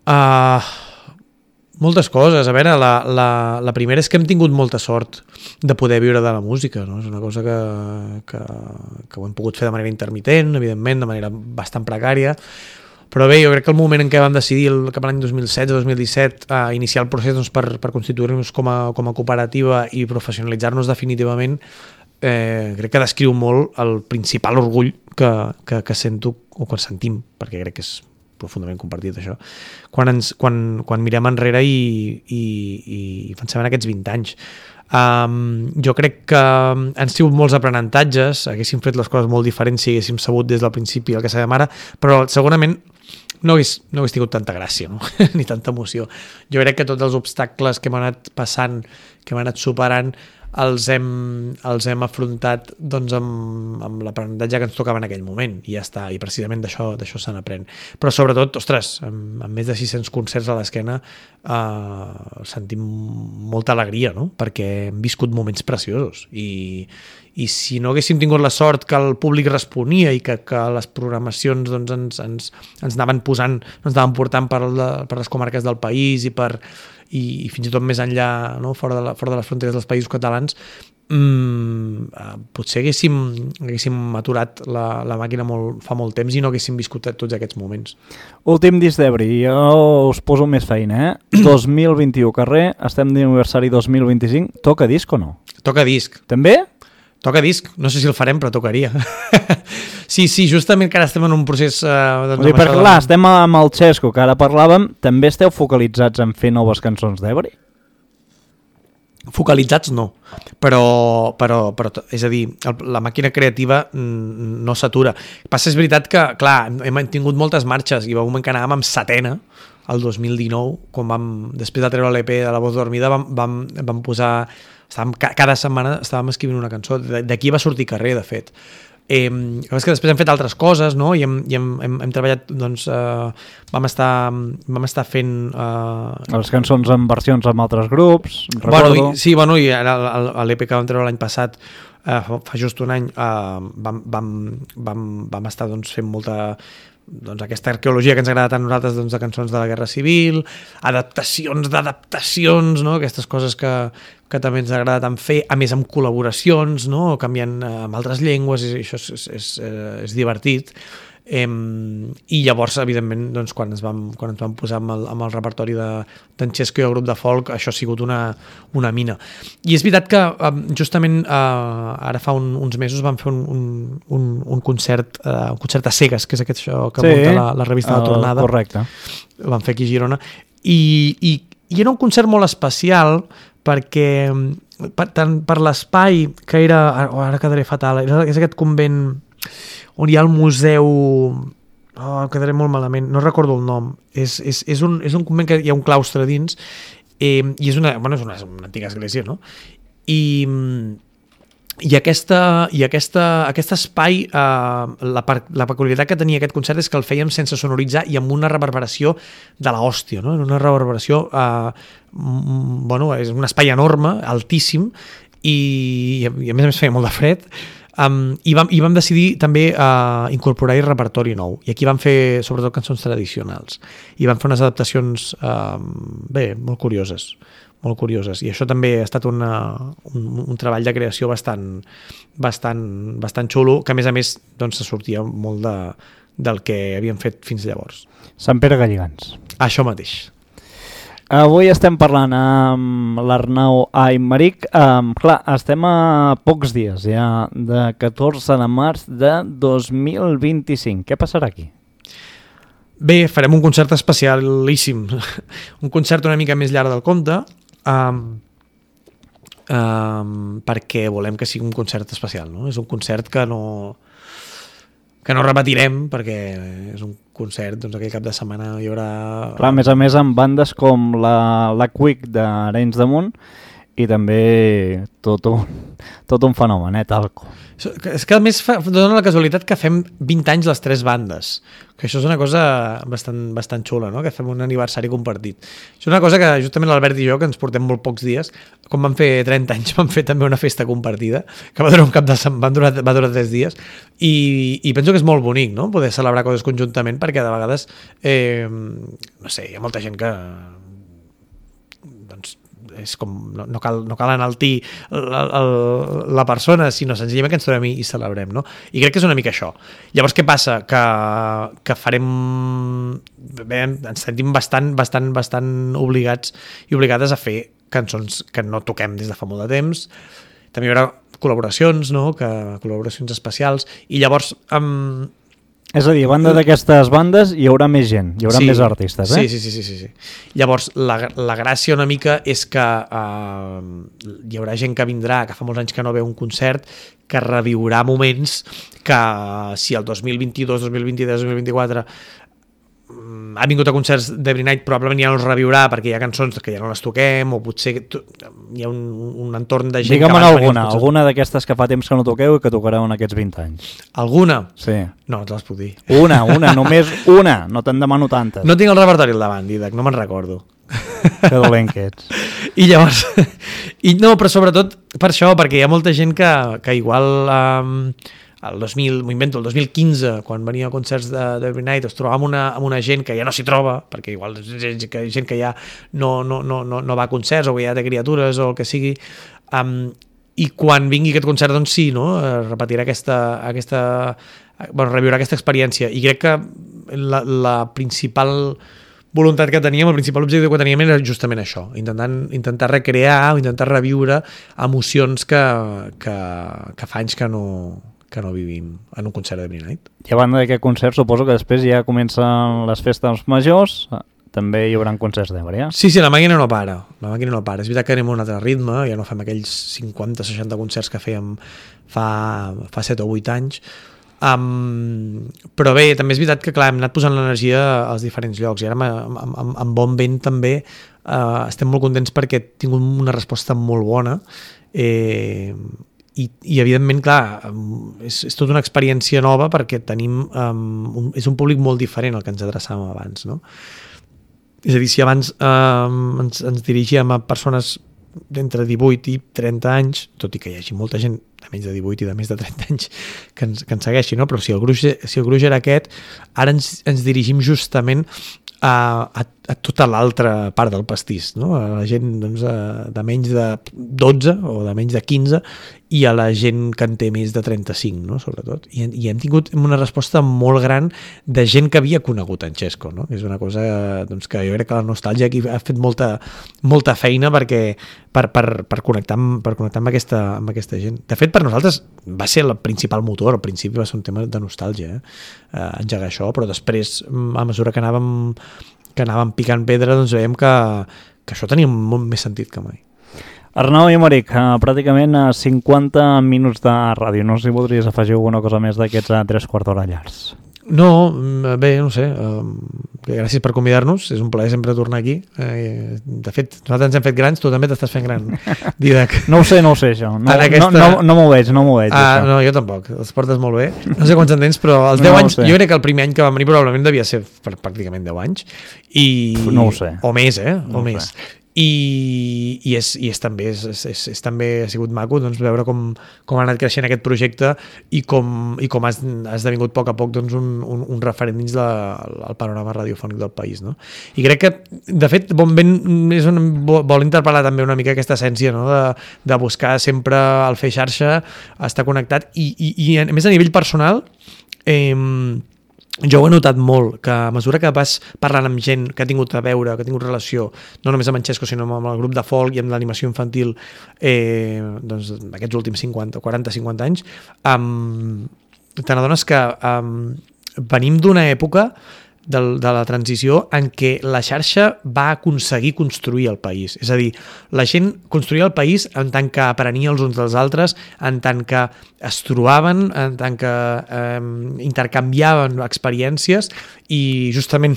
Uh, moltes coses. A veure, la, la, la primera és que hem tingut molta sort de poder viure de la música, no? És una cosa que, que, que ho hem pogut fer de manera intermitent, evidentment, de manera bastant precària, però bé, jo crec que el moment en què vam decidir el, cap a l'any dos mil setze dos mil disset a uh, iniciar el procés doncs, per, per constituir-nos com a, com a cooperativa i professionalitzar-nos definitivament, eh, crec que descriu molt el principal orgull que, que, que sento o que sentim, perquè crec que és profundament compartit això, quan, ens, quan, quan mirem enrere i, i, i pensem en aquests vint anys. Um, jo crec que han sigut molts aprenentatges, haguéssim fet les coses molt diferents si haguéssim sabut des del principi el que sabem ara, però segurament no hagués, no hagués tingut tanta gràcia, no? Ni tanta emoció. Jo crec que tots els obstacles que hem anat passant, que hem anat superant, els hem, els hem afrontat doncs, amb, amb l'aprenentatge que ens tocava en aquell moment i ja està, i precisament d'això d'això se n'aprèn. Però sobretot, ostres, amb, amb més de sis-cents concerts a l'esquena eh, sentim molta alegria, no? Perquè hem viscut moments preciosos i, i si no haguéssim tingut la sort que el públic responia i que, que les programacions doncs, ens, ens, ens anaven posant, ens anaven portant per, la, per les comarques del país i per i, i fins i tot més enllà, no? fora, de la, fora de les fronteres dels països catalans, mmm, potser haguéssim, haguéssim aturat la, la màquina molt, fa molt temps i no haguéssim viscut tots aquests moments. Últim disc d'Ebri, jo us poso més feina, eh? dos mil vint-i-u carrer, estem d'aniversari dos mil vint-i-cinc, toca disc o no? Toca disc. També? Toca disc, no sé si el farem, però tocaria. Sí, sí, justament que ara estem en un procés... Eh, doncs, dir, perquè clar, de... estem amb el Xesco, que ara parlàvem, també esteu focalitzats en fer noves cançons d'Ebri? Focalitzats no, però, però, però és a dir, el, la màquina creativa no s'atura. Passa, és veritat que, clar, hem tingut moltes marxes i va un moment que anàvem amb setena, el dos mil dinou, quan vam, després de treure l'E P de La Voz Dormida, vam, vam, vam posar... Estàvem, cada setmana estàvem escrivint una cançó, d'aquí va sortir Carrer, de fet. Eh, és que després hem fet altres coses, no? I hem, i hem, hem, hem treballat, doncs, eh, vam, estar, vam estar fent... Eh... Les cançons en versions amb altres grups, recordo. Bueno, i, sí, bueno, i ara l'E P que vam treure l'any passat, eh, fa just un any, eh, vam, vam, vam, vam estar doncs, fent molta... doncs aquesta arqueologia que ens agrada tant a nosaltres doncs, de cançons de la Guerra Civil, adaptacions d'adaptacions, no? Aquestes coses que, que també ens agrada tant fer, a més amb col·laboracions, no? Canviant eh, amb altres llengües, i això és, és, és, és divertit. Eh, I llavors, evidentment, doncs, quan, ens vam, quan ens vam posar amb el, amb el repertori d'en Xesco i el grup de folk, això ha sigut una, una mina. I és veritat que justament eh, ara fa un, uns mesos vam fer un, un, un, un concert eh, un concert a cegues, que és aquest això que sí, munta la, la revista La Tornada. Correcte. Ho vam fer aquí a Girona. I, i, i era un concert molt especial perquè per, tant, per l'espai que era, ara quedaré fatal, és aquest convent on hi ha el museu, oh, quedaré molt malament, no recordo el nom, és, és, és, un, és un convent que hi ha un claustre dins, eh, i és una, bueno, és una, una antiga església, no? I, i, aquesta, i aquesta, aquest espai, eh, la, la peculiaritat que tenia aquest concert és que el fèiem sense sonoritzar i amb una reverberació de l'hòstia, no? Una reverberació, eh, bueno, és un espai enorme, altíssim, i, i a més a més feia molt de fred. Um, i, vam, i vam decidir també uh, incorporar-hi repertori nou, i aquí vam fer sobretot cançons tradicionals i vam fer unes adaptacions uh, bé, molt curioses molt curioses, i això també ha estat una, un, un treball de creació bastant, bastant, bastant xulo, que a més a més doncs, se sortia molt de, del que havíem fet fins llavors. Sant Pere Galligants. Això mateix. Avui estem parlant amb l'Arnau Aymeric. Um, clar, estem a pocs dies ja de catorze de març de dos mil vint-i-cinc. Què passarà aquí? Bé, farem un concert especialíssim. Un concert una mica més llarg del compte, um, um, perquè volem que sigui un concert especial, no? És un concert que no... que no repetirem, perquè és un concert, doncs aquell cap de setmana hi haurà... Clar, a més a més amb bandes com la, la Quick d'Arenys de Munt i també tot un, tot un fenomen, eh, Talco. És que a més fa, dona la casualitat que fem vint anys les tres bandes, que això és una cosa bastant, bastant xula, no? Que fem un aniversari compartit. És una cosa que justament l'Albert i jo, que ens portem molt pocs dies, quan vam fer trenta anys vam fer també una festa compartida, que va durar un cap de setmana, va durar, va durar tres dies, i, i penso que és molt bonic, no? Poder celebrar coses conjuntament, perquè de vegades, eh, no sé, hi ha molta gent que... doncs és com, no, no, cal, no cal enaltir la, la, la persona, sinó senzillament que ens trobem i celebrem, no? I crec que és una mica això. Llavors, què passa? Que, que farem... Bé, ens sentim bastant, bastant, bastant obligats i obligades a fer cançons que no toquem des de fa molt de temps. També hi haurà col·laboracions, no? Que, col·laboracions especials, i llavors... Um, És a dir, a banda d'aquestes bandes hi haurà més gent, hi haurà sí, més artistes, eh? Sí, sí, sí, sí, sí. Llavors, la, la gràcia una mica és que uh, hi haurà gent que vindrà, que fa molts anys que no veu un concert, que reviurà moments que si el dos mil vint-i-dos, dos mil vint-i-tres, dos mil vint-i-quatre ha vingut a concerts d'Every Night, probablement ja no els reviurà perquè hi ha cançons que ja no les toquem, o potser hi ha un, un entorn de gent... Digue'm alguna, alguna d'aquestes que fa temps que no toqueu i que tocareu en aquests vint anys. Alguna? Sí. No, no te les puc dir. Una, una, només una, no te'n demano tantes. No tinc el repertori al davant, Didac, no me'n recordo. Que dolent que ets. I llavors... I no, però sobretot per això, perquè hi ha molta gent que, que igual... Um, el dos mil, m'ho invento, el dos mil quinze, quan venia a concerts d'Every Night, es trobava amb una, amb una gent que ja no s'hi troba, perquè igual és gent que, gent que ja no, no, no, no, no va a concerts o que ja té criatures o el que sigui, um, i quan vingui aquest concert, doncs sí, no? Repetirà aquesta, aquesta, bueno, reviurà aquesta experiència, i crec que la, la principal voluntat que teníem, el principal objectiu que teníem era justament això, intentant, intentar recrear o intentar reviure emocions que, que, que fa anys que no... que no vivim en un concert d'Every Night. I a banda d'aquest concert, suposo que després ja comencen les festes majors, també hi haurà concerts d'Every, eh? Sí, sí, la màquina no para, la màquina no para. És veritat que anem a un altre ritme, ja no fem aquells cinquanta seixanta concerts que fèiem fa, fa set o vuit anys, um, però bé, també és veritat que clar, hem anat posant l'energia als diferents llocs, i ara amb, amb, amb bon vent també uh, estem molt contents perquè he tingut una resposta molt bona, eh, I, i evidentment, clar, és, és tota una experiència nova perquè tenim um, un, és un públic molt diferent al que ens adreçàvem abans, no? És a dir, si abans um, ens, ens dirigíem a persones d'entre divuit i trenta anys, tot i que hi hagi molta gent de menys de divuit i de més de trenta anys que ens, que ens segueixi, no? Però si el gruix, si el gruix era aquest, ara ens, ens dirigim justament a, a, a tota l'altra part del pastís, no? A la gent doncs, de menys de dotze o de menys de quinze i a la gent que en té més de trenta-cinc, no? Sobretot. I, i hem tingut una resposta molt gran de gent que havia conegut en Xesco, no? És una cosa doncs, que jo crec que la nostàlgia aquí ha fet molta, molta feina perquè, per, per, per, connectar amb, per connectar amb aquesta, amb aquesta gent. De fet, per nosaltres va ser el principal motor, al principi va ser un tema de nostàlgia, eh? Uh, engegar això, però després, a mesura que anàvem que anàvem picant pedra, doncs veiem que, que això tenia molt més sentit que mai. Arnau i Emeric, uh, pràcticament uh, cinquanta minuts de ràdio. No sé si voldries afegir alguna cosa més d'aquests uh, tres quarts d'hora llargs. No, bé, no sé, uh, gràcies per convidar-nos, és un plaer sempre tornar aquí. Uh, de fet, nosaltres ens hem fet grans, tu també t'estàs fent gran, Didac. No ho sé, no ho sé, això. No, aquesta... no, no, no m'ho veig, no m'ho veig. Ah, no, jo tampoc, els portes molt bé. No sé quants en tens, però els deu no anys, jo crec que el primer any que vam venir probablement devia ser per pràcticament deu anys. I... No ho sé. O més, eh? No o més. Sé. I, i, és, i és, també, és, és, és també ha sigut maco doncs, veure com, com ha anat creixent aquest projecte i com, i com ha, ha esdevingut a poc a poc doncs, un, un, un referent dins del panorama radiofònic del país, no? I crec que, de fet, Bon Vent és un, vol interpel·lar també una mica aquesta essència, no? de, de buscar sempre el fer xarxa, estar connectat i, i, i a més a nivell personal eh, jo ho he notat molt, que a mesura que vas parlant amb gent que ha tingut a veure, que ha tingut relació, no només amb en Xesco, sinó amb el grup de folk i amb l'animació infantil eh, doncs, aquests últims cinquanta, quaranta, cinquanta anys, um, te n'adones que um, venim d'una època de, de la transició en què la xarxa va aconseguir construir el país. És a dir, la gent construïa el país en tant que aprenia els uns dels altres, en tant que es trobaven, en tant que eh, intercanviaven experiències i justament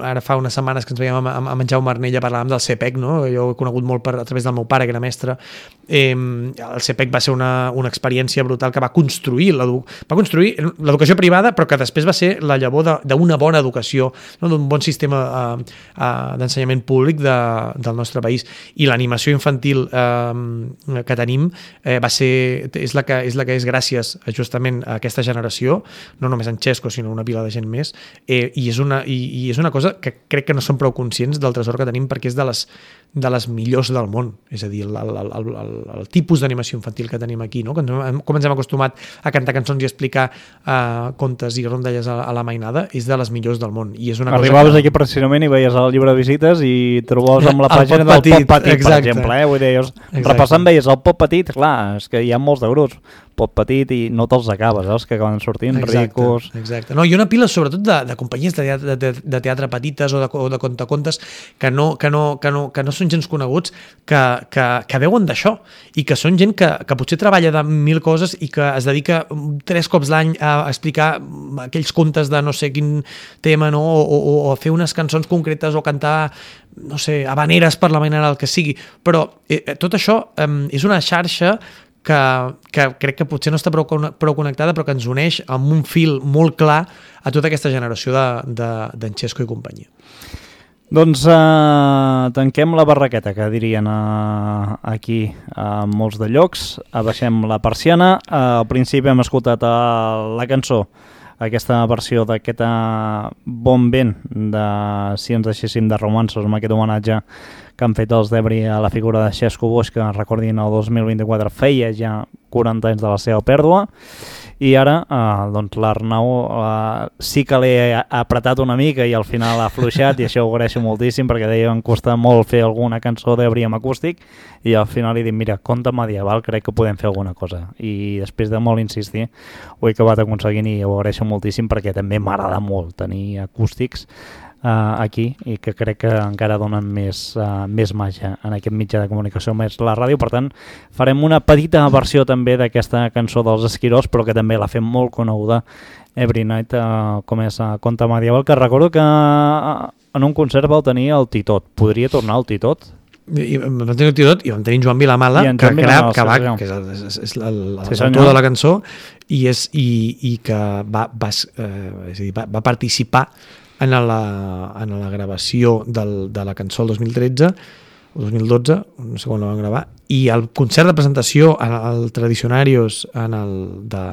ara fa unes setmanes que ens veiem amb, amb en Jaume Arnella parlàvem del C E P E C, no? Jo ho he conegut molt per, a través del meu pare, que era mestre. Eh, el C E P E C va ser una, una experiència brutal que va construir va construir l'educació privada, però que després va ser la llavor d'una bona educació, no? D'un bon sistema eh, eh, d'ensenyament públic de, del nostre país. I l'animació infantil eh, que tenim eh, va ser, és la que és la que és gràcies justament a aquesta generació, no només en Xesco, sinó una pila de gent més, eh, i, és una, i, i és una cosa que crec que no som prou conscients del tresor que tenim perquè és de les, de les millors del món, és a dir, el, el, el, el, el tipus d'animació infantil que tenim aquí, no? Com ens hem acostumat a cantar cançons i explicar uh, contes i rondalles a, a la mainada, és de les millors del món. I és una Arribaves cosa que... aquí precisament i veies el llibre de visites i trobaves amb la pàgina del Pop Petit, exacte. Per exemple, eh? Vull dir, repassant veies el Pop Petit, clar, és que hi ha molts de grups, Pop Petit, i no te'ls acabes, eh? Els que acaben sortint, exacte, ricos... Exacte. No, i una pila sobretot de, de companyies de teatre, de, de teatre petites o de, o de contacontes que no, que, no, que, no, que no són gens coneguts, que, que, que veuen d'això i que són gent que, que potser treballa de mil coses i que es dedica tres cops l'any a explicar aquells contes de no sé quin tema, no? o, o, o a fer unes cançons concretes o cantar no sé, habaneres per la manera el que sigui, però eh, tot això eh, és una xarxa que, que crec que potser no està prou, prou connectada, però que ens uneix amb un fil molt clar a tota aquesta generació d'en de, de, Xesco i companyia. Doncs uh, tanquem la barraqueta, que dirien uh, aquí a uh, molts de llocs, abaixem la persiana. Uh, al principi hem escoltat uh, la cançó, aquesta versió d'aquest Bon Vent de Si ens deixéssim de romanços, amb aquest homenatge que han fet els d'Ebri a la figura de Xesco Boix, que recordin el dos mil vint-i-quatre feia ja quaranta anys de la seva pèrdua. I ara eh, doncs l'Arnau eh, sí que l'he apretat una mica i al final ha afluixat, i això ho agraeixo moltíssim perquè deia que em costa molt fer alguna cançó d'Ebri amb acústic, i al final li dic, mira, conte medieval, crec que podem fer alguna cosa, i després de molt insistir ho he acabat aconseguint i ho agraeixo moltíssim perquè també m'agrada molt tenir acústics Uh, aquí, i que crec que encara donen més, uh, més màgia en aquest mitjà de comunicació més la ràdio. Per tant, farem una petita versió també d'aquesta cançó dels Esquirols, però que també la fem molt coneguda, Every Night, uh, com és uh, Conte medieval, que recordo que uh, en un concert vau tenir el Titot. Podria tornar el Titot? I vam tenir el Titot i vam tenir en Joan Vilamala, que, que, Vilamala, que, va, que és, és, és l'autor de la cançó, i, és, i, i que va, va, eh, és a dir, va, va participar en la, en la gravació del, de la cançó el dos mil tretze o dos mil dotze, no sé quan la van gravar, i el concert de presentació, el Tradicionarios en el, de,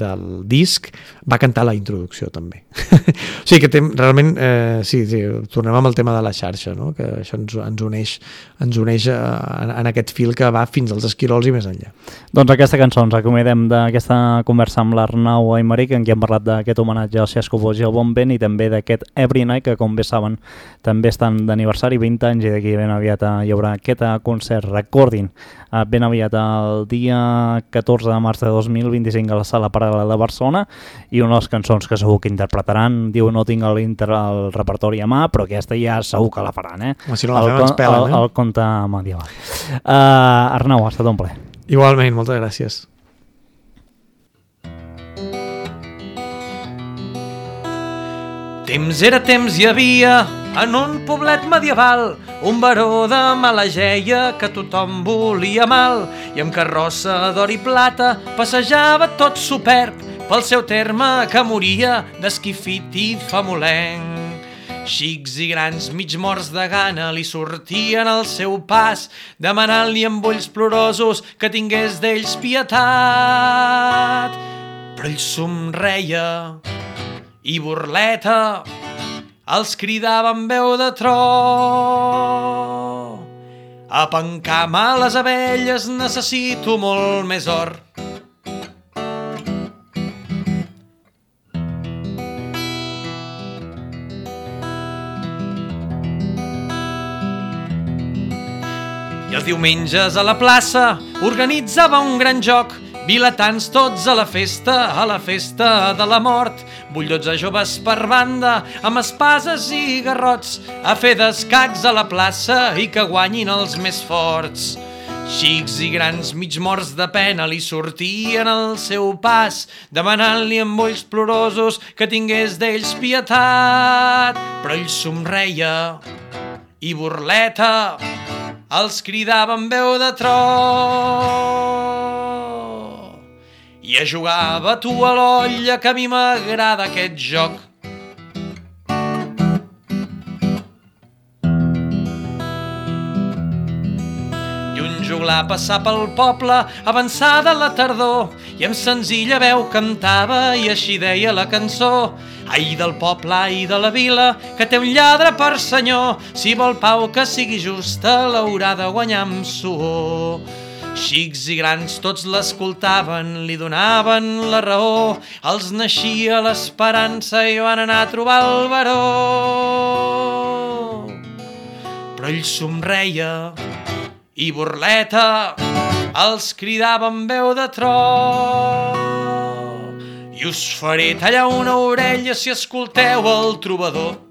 del disc, va cantar la introducció també. O sigui que tem, realment, eh, sí, sí, tornem amb el tema de la xarxa, no? Que això ens, ens uneix, ens uneix en, en aquest fil que va fins als Esquirols i més enllà. Doncs aquesta cançó ens acomiadem d'aquesta conversa amb l'Arnau Aymeric, en què hem parlat d'aquest homenatge al Xesco Boix i al Bon Vent, i també d'aquest Every Night, que com bé saben també estan d'aniversari, vint anys, i d'aquí ben aviat hi haurà aquest concert. Recordin, ben aviat el dia catorze de març de dos mil vint-i-cinc a la Sala Paral·lela de Barcelona, i unes cançons que segur que interpretaran. Diu, no tinc el, el repertori a mà, però aquesta ja segur que la faran, eh? Si no la fem ens pelen, eh? El, el conte medieval. Uh, Arnau, ha estat un plaer. Igualment, moltes gràcies. Temps era temps hi havia en un poblet medieval un baró de mala geia que tothom volia mal, i amb carrossa d'or i plata passejava tot superb pel seu terme que moria d'esquifit i famolenc. Xics i grans mig morts de gana li sortien al seu pas, demanant-li amb ulls plorosos que tingués d'ells pietat. Però ell somreia i burleta els cridava amb veu de tro: a pencar males abelles necessito molt més or. I els diumenges a la plaça organitzava un gran joc, vilatans tots a la festa, a la festa de la mort, vull dotze joves per banda, amb espases i garrots, a fer d'escacs a la plaça i que guanyin els més forts. Xics i grans mig morts de pena li sortien al seu pas, demanant-li amb ulls plorosos que tingués d'ells pietat. Però ell somreia i burleta els cridava amb veu de tro: i a jugar tu a l'olla, que a mi m'agrada aquest joc. I un joglar passar pel poble avançada la tardor, i amb senzilla veu cantava i així deia la cançó: ai del poble, ai de la vila, que té un lladre per senyor, si vol pau que sigui justa l'haurà de guanyar amb suor. Xics i grans tots l'escoltaven, li donaven la raó, els naixia l'esperança i van anar a trobar el baró. Però ell somreia i burleta els cridava amb veu de tro: i us faré tallar una orella si escolteu el trobador.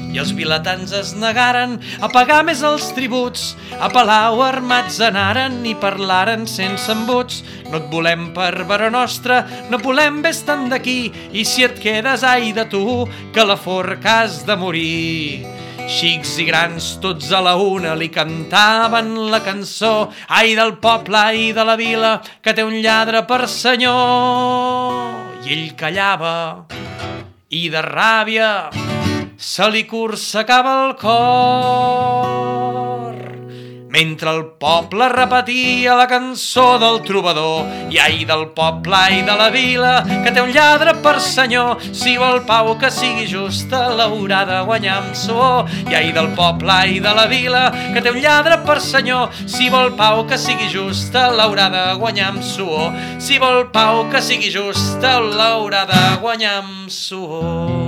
I els vilatans es negaren a pagar més els tributs, a palau armats anaren i parlaren sense embuts: no et volem per baró nostre, no volem ves-te'n d'aquí, i si et quedes, ai de tu, que a la forca has de morir. Xics i grans tots a la una li cantaven la cançó: ai del poble, ai de la vila, que té un lladre per senyor. I ell callava i de ràbia se li corsecava el cor, mentre el poble repetia la cançó del trobador: i ai del poble, ai de la vila, que té un lladre per senyor, si vol pau que sigui justa l'haurà de guanyar amb suor. I ai del poble, ai de la vila, que té un lladre per senyor, si vol pau que sigui justa l'haurà de guanyar amb suor. Si vol pau que sigui justa l'haurà de guanyar amb suor.